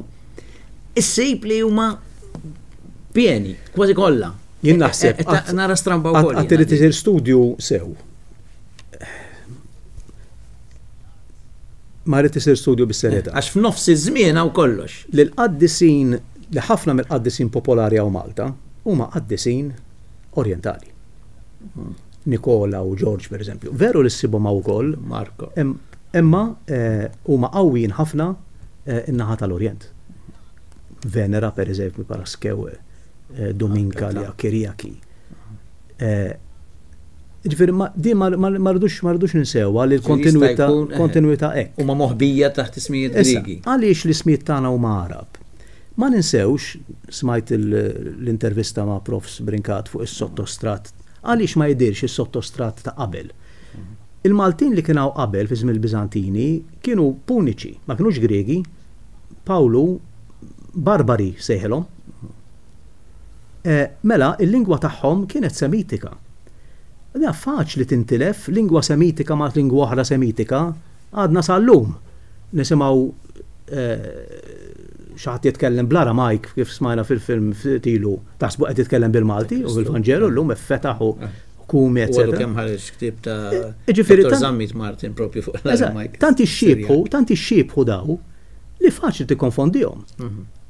issib li huma pieni, kważi kollha. Jien naħseb nara stramba wkoll. Qatt irid isir studju sew. Ma rrid isir studju bis-serjetà. Għax f'nofs iż-żmien hawn kollox. Li l-qaddisin, li ħafna mill-qaddisin popolari hawn Malta huma qaddisin orjentali. Nikola u George per eżempju. Veru li ssibhom hawn ukoll, Marko. Imma huma qawwijin ħafna in-naħa tal-Orjent. Venera per eżempju, Paraskew, Dominka li Kiriaki. Ġifieri di ma rridux ma rridux ninsewha li l-kontinuità kontinuità hekk. Huma moħbija taħt ismijiet Griegi. Għaliex l-ismijiet tagħna huma Arab? Ma ninsewx, smajt l-intervista ma' Profs Brincat fuq is-sottostrat. Għaliex ma jidirx is-sottostrat ta' qabel? Il-Maltin li kienu qabel fi żmien il-Biżantini kienu Puniċi, ma kinux Griegi. Pawlu barbari sejħilhom. Mela, il-lingwa tagħhom kienet semitika. Da faċli tintilef lingwa semitika ma' lingwa oħra semitika, għadna sal-lum. Nisimgħu xi ħadd jitkellem bl-Aramajk kif smajna fil-film tilu, taħsbu qed jitkellem bil-Malti u bil-Vanġelu llum fetaħ u kumi, eccetera. U kemm ħareġ ktieb ta' Dottor Zammit Martin propju fuq l-Aramajk. Tanti xxiebħu, tanti xxiebħu daw li faċli tikkonfondihom.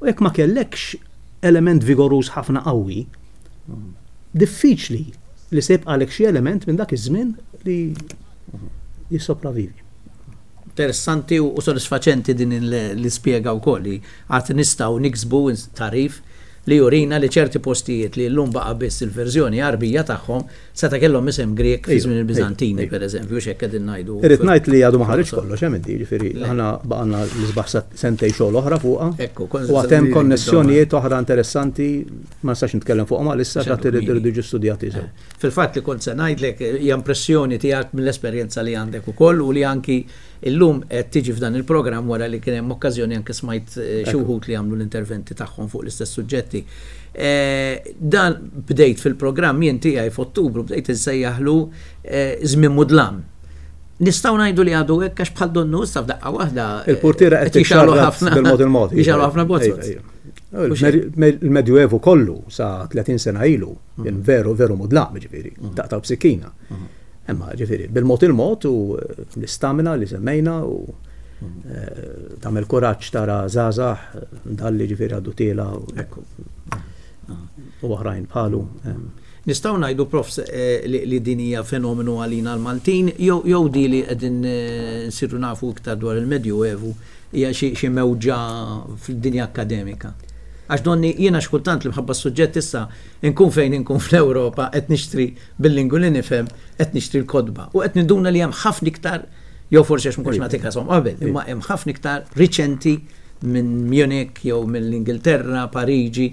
U jekk ma kellekx element vigoruż ħafna qawwi, diffiċli li se jibqalek xi element minn dak iż-żmien li jissopravivi. Interessanti u sodisfaċenti din l-ispjega wkoll li għad nistgħu niksbu tarif li jurina li ċerti postijiet li llum baqa' biss il-verżjoni Għarbija tagħhom seta' kellhom isem Grek fi żmien il-Biżantini, pereżempju, x'hekk qegħdin ngħidu. Irrid ngħid li għadu ma ħareġ kollox hemm inti, ġifieri aħna baqgħna l-isbaħ sentej xogħol oħra fuqha. Ekku, u għad hemm konnessjonijiet oħra interessanti ma nistax nitkellem fuqhom għalissa X'għadu għad irridu kmieni. irridu jiġu studjati sew. Fil-fatt li kont se ngħidlek hija impressjoni tiegħek mill-esperjenza li għandek ukoll u li anki illum qed tiġi f'dan il-programm wara li kien hemm okkażjoni anke smajt eh, xi wħud li għamlu l-interventi tagħhom fuq l-istess suġġetti. Eh, Dan bdejt fil-programm jien tiegħi f'Ottubru bdejt insejjaħlu eh, żmien mudlam. Nistgħu ngħidu li għadu hekk għax bħal donnu issa f'daqqa waħda eh, Il-portiera qed jixgħalu tixxarrat ħafna bil-mod il-mod. Jixgħalu ħafna bozzot. Ejja, ejja. Il-Medjuevu kollu sa tletin sena ilu kien veru veru mudlam, ġifieri, taqtaw b'sikkina. Imma ġifieri, bil-mod il-mod u eh, l-istamina li semmejna u eh, tagħmel kuraġġ tara żgħażagħ dalli ġifieri għaddu tiela u Ekku. u oħrajn bħalu. em. Nistgħu ngħidu prof eh, li, li din hija fenomenu għalina l-Maltin jew jew di li qegħdin eh, nsiru nafu iktar dwar il-Medjuevu hija xi xi mewġa fid-dinja akademika. Għax donni jiena xkultant li mħabba s-suġġett issa nkun fejn inkun fl-Ewropa qed nixtri bil-lingwi li nifhem qed nixtri l-kotba u qed ninduna li hemm ħafna iktar jew forsi għax ma kontx nagħti kashom qabel, imma hemm ħafna iktar riċenti minn Munich jew mill-Ingilterra, Pariġi,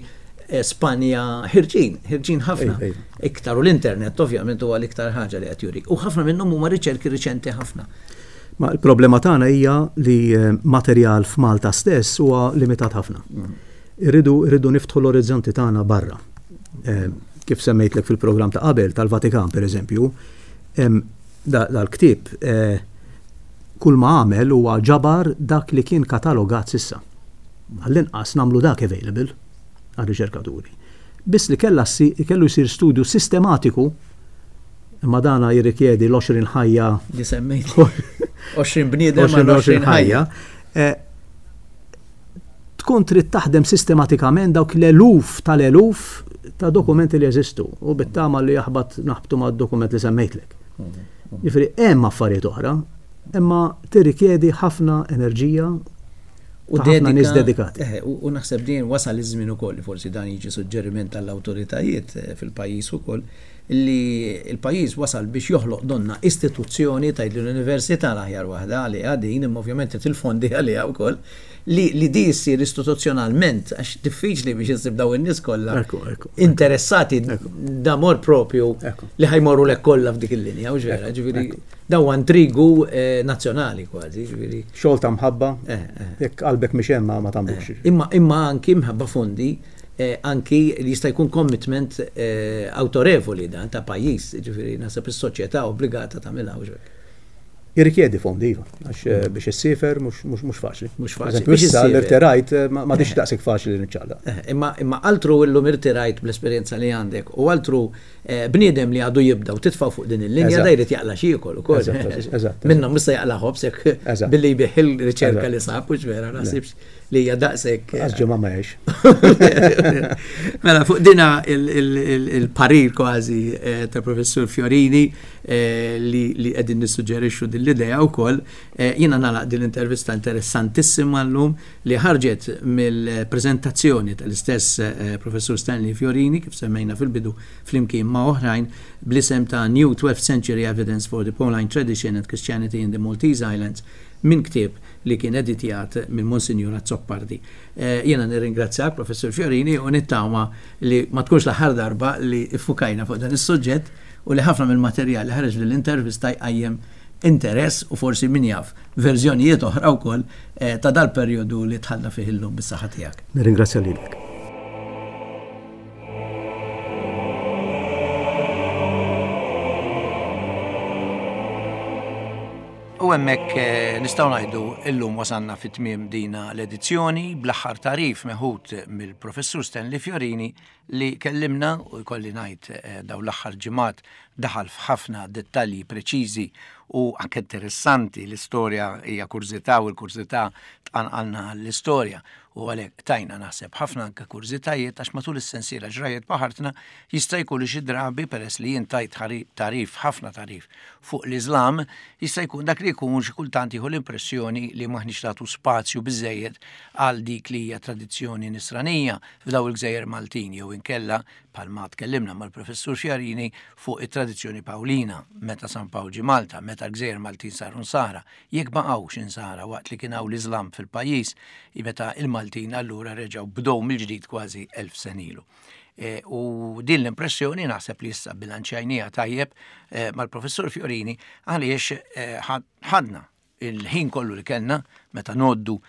eh, Spanja, ħirġin, ħirġin ħafna. Ejja, ejja. Iktar u l-internet ovvjament huwa l-iktar ħaġa li qed juri. U ħafna minnhom huma riċerki riċenti ħafna. Ma il-problema tagħna hija li eh, materjal f'Malta stess huwa limitat ħafna. Irridu irridu niftħu l-orizzonti tagħna barra. Eh, Kif semmejtlek fil-programm ta' qabel tal-Vatikan pereżempju, em, da- dal-ktieb eh, kull ma għamel huwa ġabar dak li kien katalogat s'issa. Għall-inqas nagħmlu dak available għar-riċerkaturi. Biss li kella si- kellu jsir studju sistematiku, imma dana jirrikjedi l-għoxrin ħajja Li semmejt. għoxrin bniedem għal għoxrin ħajja. Eh, Tkun trid taħdem sistematikament dawk l-eluf tal-eluf ta' dokumenti li jeżistu u bit-tama li jaħbat naħbtu ma' dokument li semmejtlek. Jiġifieri hemm affarijiet oħra, imma tirrikjedi ħafna enerġija U ta' ħafna nies dedika- dedikati. Eh, u u naħseb din wasal iż-żmien ukoll li forsi dan jiġi suġġeriment tal-awtoritajiet eh, fil-pajjiż ukoll li l-pajjiż wasal biex joħloq donna istituzzjoni tgħid li l-università l-aħjar waħda għaliha din imma ovvjament il-fondi għaliha wkoll li li di ssir istituzzjonalment għax diffiċli biex issib daw in-nies kollha Ekku, ekku, interessati d'amor propju Ekku. li ħa jmorru lek kollha f'dik il-linja u ġvera, ġifieri daw intrigu eh, nazzjonali kważi, ġifieri. Xogħol ta' mħabba, Eh, eh. jekk qalbek mhix hemm ma- ma tagħmlux. Imma imma anki mħabba fondi eh, anki li jista' jkun commitment eh, autorevoli dan ta' pajjiż, ġifieri naħseb is-soċjetà obbligata tagħmilha u ġvek. Jirrikjedi fondi, iva, għax eh, biex issiefer mhux mhux mhux faċli. Mhux faċli. Eżempju, Biex Issa issiefer. l-irtirajt eh, ma m'għadix daqshekk faċli li niċċaqlaq. Eh, Imma imma altru illum irtirajt bl-esperjenza li għandek u altru eh, bniedem li għadu jibda u titfa' fuq din il-linja Eżatt. da jrid jaqla xi jiekol ukoll. Eżatt, eżatt, eżatt. Minnhom issa jaqla ħobż hekk Eżatt. billi jbigħ il-riċerka Eżatt. li sab u ġvera naħsibx li hija daqshekk. eh, Għax ġimgħa ma jgħix. Mela, fuq dina il- il- il- il-parir kważi eh, ta' professur Fiorini eh, li li qegħdin nissuġġerixxu din l-idea wkoll, eh, jiena nagħlaq din l-intervista interessantissima llum li ħarġet mill-preżentazzjoni tal-istess eh, professur Stanley Fiorini kif semmejna fil-bidu flimkien ma' oħrajn bl-isem ta' New twelfth Century Evidence for the Pauline Tradition and Christianity in the Maltese Islands minn ktieb li kien editjat minn Monsignor Azzopardi. Eh, Jiena nirringrazzjak, Professor Fiorini, u nittama li ma tkunx l-aħħar darba li iffukajna fuq dan is-suġġett u li ħafna mill-materjal li ħareġ lill-intervista jqajjem interess u forsi min jaf verżjonijiet oħra wkoll eh, ta' dal-perjodu li tħalla fih illum bis-saħħa tiegħek. Nirringrazzja lilek. U hemmhekk eh, nistgħu ngħidu illum wasalna fit tmiem dina l-edizzjoni bl-aħħar tarif meħud mill-Professur Stanley Fiorini li kellimna u jkolli ngħid eh, daw l-aħħar ġimgħat daħal f'ħafna dettalji preċiżi u anke interessanti. L-istorja hija kurżità u l-kurżità tqanqalna l-istorja U għalhekk tajna naħseb ħafna anke kurżitajiet, għax matul is-sensiela Ġrajjet Baħartna jista' jkun li xi drabi, peress li jien tajt tagħrif, ħafna tagħrif fuq l-Iżlam, jista' jkun dak li jkun xi kultant jieħu l-impressjoni li m'aħniex nagħtu spazju biżejjed għal dik li hija tradizzjoni nisranija f'daw il-gżejjer Maltin, jew inkella bħalma tkellimna mal-Professur Fiorini fuq it-tradizzjoni Pawlina, meta San Pawl ġie Malta, meta l-gżejjer Maltin saru Nsara, jekk baqgħux Insara waqt li kien hawn l-Iżlam fil-pajjiż, meta il-Maltin allura reġgħu bdew mill-ġdid kważi elf sena ilu. E, u din l-impressjoni naħseb li issa bilanċjajnieha tajjeb e, mal-Professur Fiorini, għaliex e, ħadna il-ħin kollu li kellna meta noddu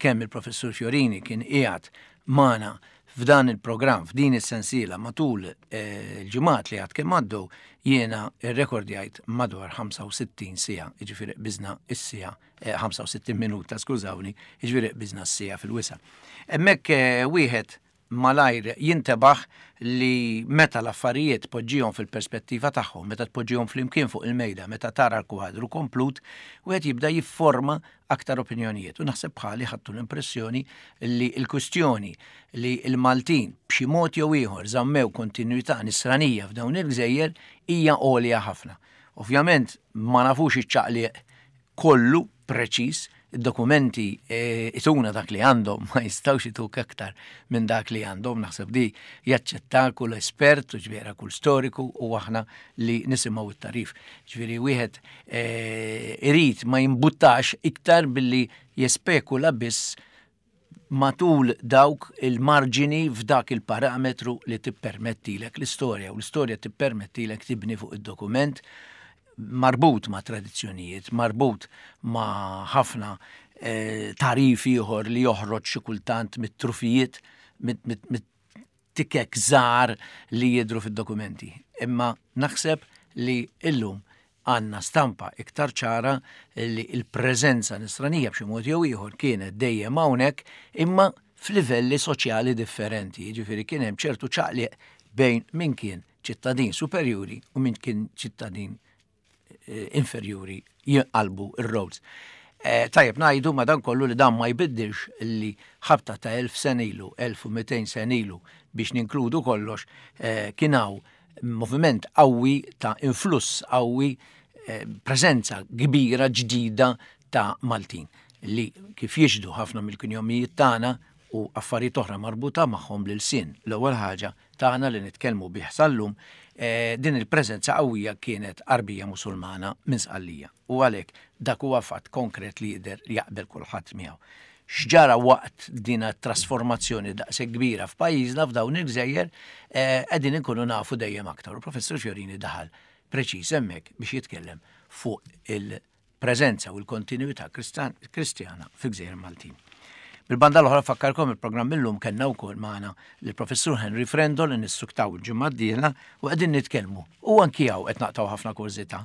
kemm il-Professur Fiorini kien qiegħed magħna f'dan il-programm, f'din is-sensiela matul il-ġimgħat li għad kemm għaddew, jiena rrekordjajt madwar ħamsa u sittin siegħa, jiġifieri qbiżna is-siegħa, ħamsa u sittin minuta, skużawni, jiġifieri qbiżna s-siegħa fil-wisa'. Hemmhekk wieħed malajr jintebaħ li meta l-affarijiet poġġihom fil-perspettiva tagħhom, meta tpoġġihom flimkien fuq il-mejda, meta tara l-kwadru komplut, wieħed jibda jifforma aktar opinjonijiet. U naħseb bħali ħadtu l-impressjoni li l-kwistjoni li l-Maltin b'xi mod jew ieħor żammew kontinuità nisranija f'dawn il-gżejjer hija għolja ħafna. Ovvjament ma nafux iċ-ċaqliq kollu preċiż, id-dokumenti ituna dak li għandhom, ma jistgħux ituk aktar minn dak li għandhom, naħseb di jaċċetta kull espert u ġifieri kull storiku u aħna li nisimgħu it-tagħrif. Ġifieri wieħed irid ma jimbuttax iktar billi jespekula biss matul dawk il-marġini f'dak il-parametru li tippermettilek l-istorja, u l-istorja tippermettilek tibni fuq id-dokument marbut ma' tradizzjonijiet, marbut ma' ħafna eh, tagħrif ieħor li joħroġ xi kultant mit-trufijiet, mit-tikek żgħar li jidhru fid-dokumenti. Imma naħseb li illum għandna stampa iktar ċara li il-preżenza nisranija b'xi mod jew ieħor kienet dejjem hawnhekk, imma f'livelli soċjali differenti. Jiġifieri kien hemm ċertu ċaqliq bejn min kien ċittadin superjuri u min kien ċittadin inferjuri, jinqalbu ir-roles. Tajjeb ngħidu madan kollu li dan ma jbiddilx li ħabta ta' elf sena ilu, elf u mitejn sena ilu, biex ninkludu kollox, kien hawn moviment qawwi ta' influss qawwi, preżenza kbira ġdida ta' Maltin li kif jixhdu ħafna mill-kunjomijiet tagħna u affarijiet oħra marbuta magħhom l-ilsien. L-ewwel ħaġa tagħna li nitkellmu bih sal-lum, din il-preżenza qawwija kienet Arbija Musulmana minn Sqallija. U għalhekk dak huwa fatt konkret li jidher li jaqbel kulħadd miegħu. X'ġara waqt din trasformazzjoni daqshekk kbira f'pajjiżna, f'dawn il-gżejjer, qegħdin inkunu nafu dejjem aktar. U Professur Fiorini daħal preċiż hemmhekk biex jitkellem fuq il-preżenza u l-kontinuità kristjana fil-gżejjer Maltin. Bil-banda l-oħra fakkarkom il-programm illum kellna wkoll magħna l-Professur Henry Frendo li nistuktaw il-ġimgħa d-dieħla u qegħdin nitkellmu. U anki hawn qed naqtgħu ħafna kurżità.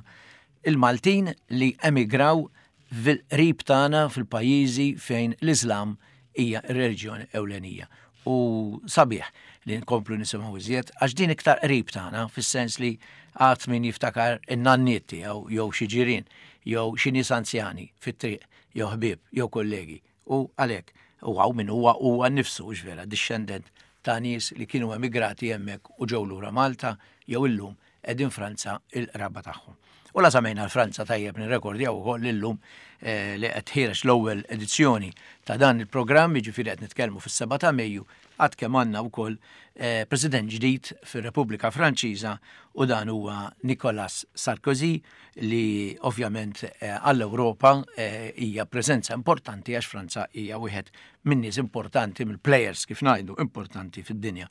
Il-Maltin li emigraw fil-qrib tagħna fil-pajjiżi fejn l-Iżlam hija r-reliġjoni ewlenija. U sabiħ li nkomplu nisimgħu iżjed għax din iktar qrib tagħna, fis-sens li għad min jiftakar in-nanniet tiegħu jew xi ġirien jew xi nies anzjani fit-triq jew ħbieb jew kollegi. U għalhekk u hawn min huwa huwa nnifsu vera dixxendent ta' nies li kienu emigrati hemmhekk u ġew lura Malta jew illum qegħdin Franza il-qraba tagħhom. U la semmejna l-Franza, tajjeb nirrekordjaw ukoll illum li qed ħiereġ l-ewwel edizzjoni ta' dan il-programm, jiġifieri qed nitkellmu fis-seba' ta' Mejju, għad kemm għandna wkoll president ġdid fir-Repubblika Franċiża, u dan huwa Nicolas Sarkozy, li ovvjament għall-Ewropa hija preżenza importanti għax Franza hija wieħed minn nies importanti, mill-players kif ngħidu importanti fid-dinja.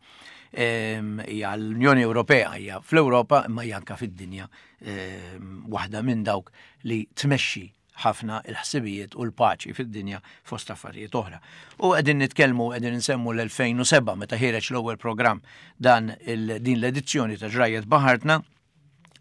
Hija l-Unjoni Ewropea, hija fl-Ewropa imma hija anke fid-dinja, waħda minn dawk li tmexxi ħafna il-ħsibijiet u l-paċi fid-dinja fost affarijiet oħra. U qegħdin nitkellmu, qegħdin nsemmu l-elfejn u sebgħa meta ħiereġ l-ewwel programm dan din l-edizzjoni ta' Ġrajjet Baħartna.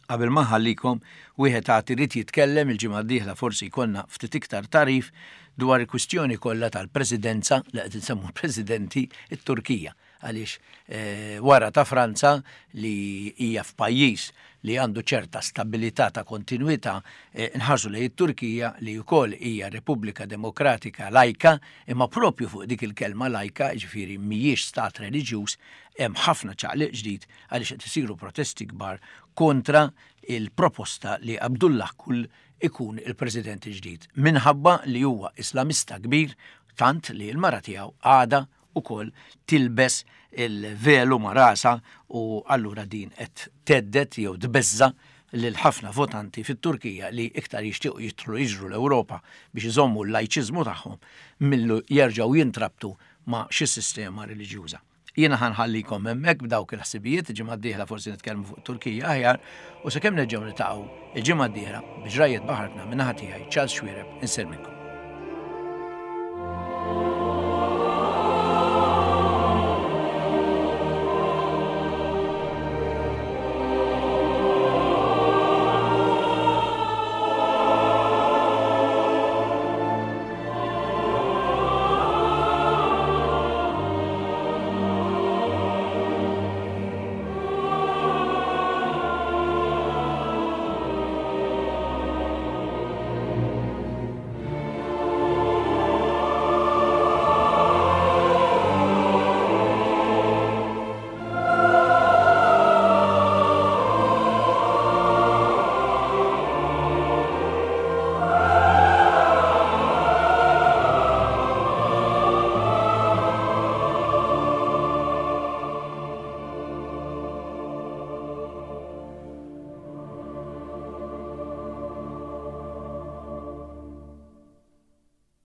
Qabel ma ħallikom, wieħed għad irid jitkellem il-ġimgħa d-dieħla, forsi jkollna ftit iktar tagħrif dwar il-kwistjoni kollha tal-presidenza li qed insemmu presidenti it-Turkija. Għaliex eh, wara ta' Franza li hija f'pajjiż li għandu ċerta stabilità ta' kontinuità, eh, nħarsu lejn it-Turkija li wkoll hija Repubblika Demokratika lajka, imma propju fuq dik il-kelma lajka, ġifieri mhijiex stat reliġjuż, hemm ħafna ċaqliq ġdid għaliex qed isiru protesti kbar kontra il-proposta li Abdullah Gül ikun il-president ġdid minħabba li huwa islamista kbir, tant li l-mara tiegħu għada ukoll tilbes il-velu ma' rasha, u allura din qed thedded jew tbeżża lil ħafna votanti fit-Turkija li iktar jixtiequ jidħlu jiġru l-Ewropa biex iżommu l-lajċiżmu tagħhom milli jerġgħu jintrabtu ma' xi sistema reliġjuża. Jiena ħa nħallikom hemmhekk b'dawk il-ħsibijiet, ġimgħa d-dieħla forsi nitkellmu fuq Turkija aħjar, u sakemm nerġgħu niltaqgħu il-ġimgħa d-dieħla bi Ġrajjiet Baħartna, min-naħa tiegħi, Charles Xuereb, insellmilkom.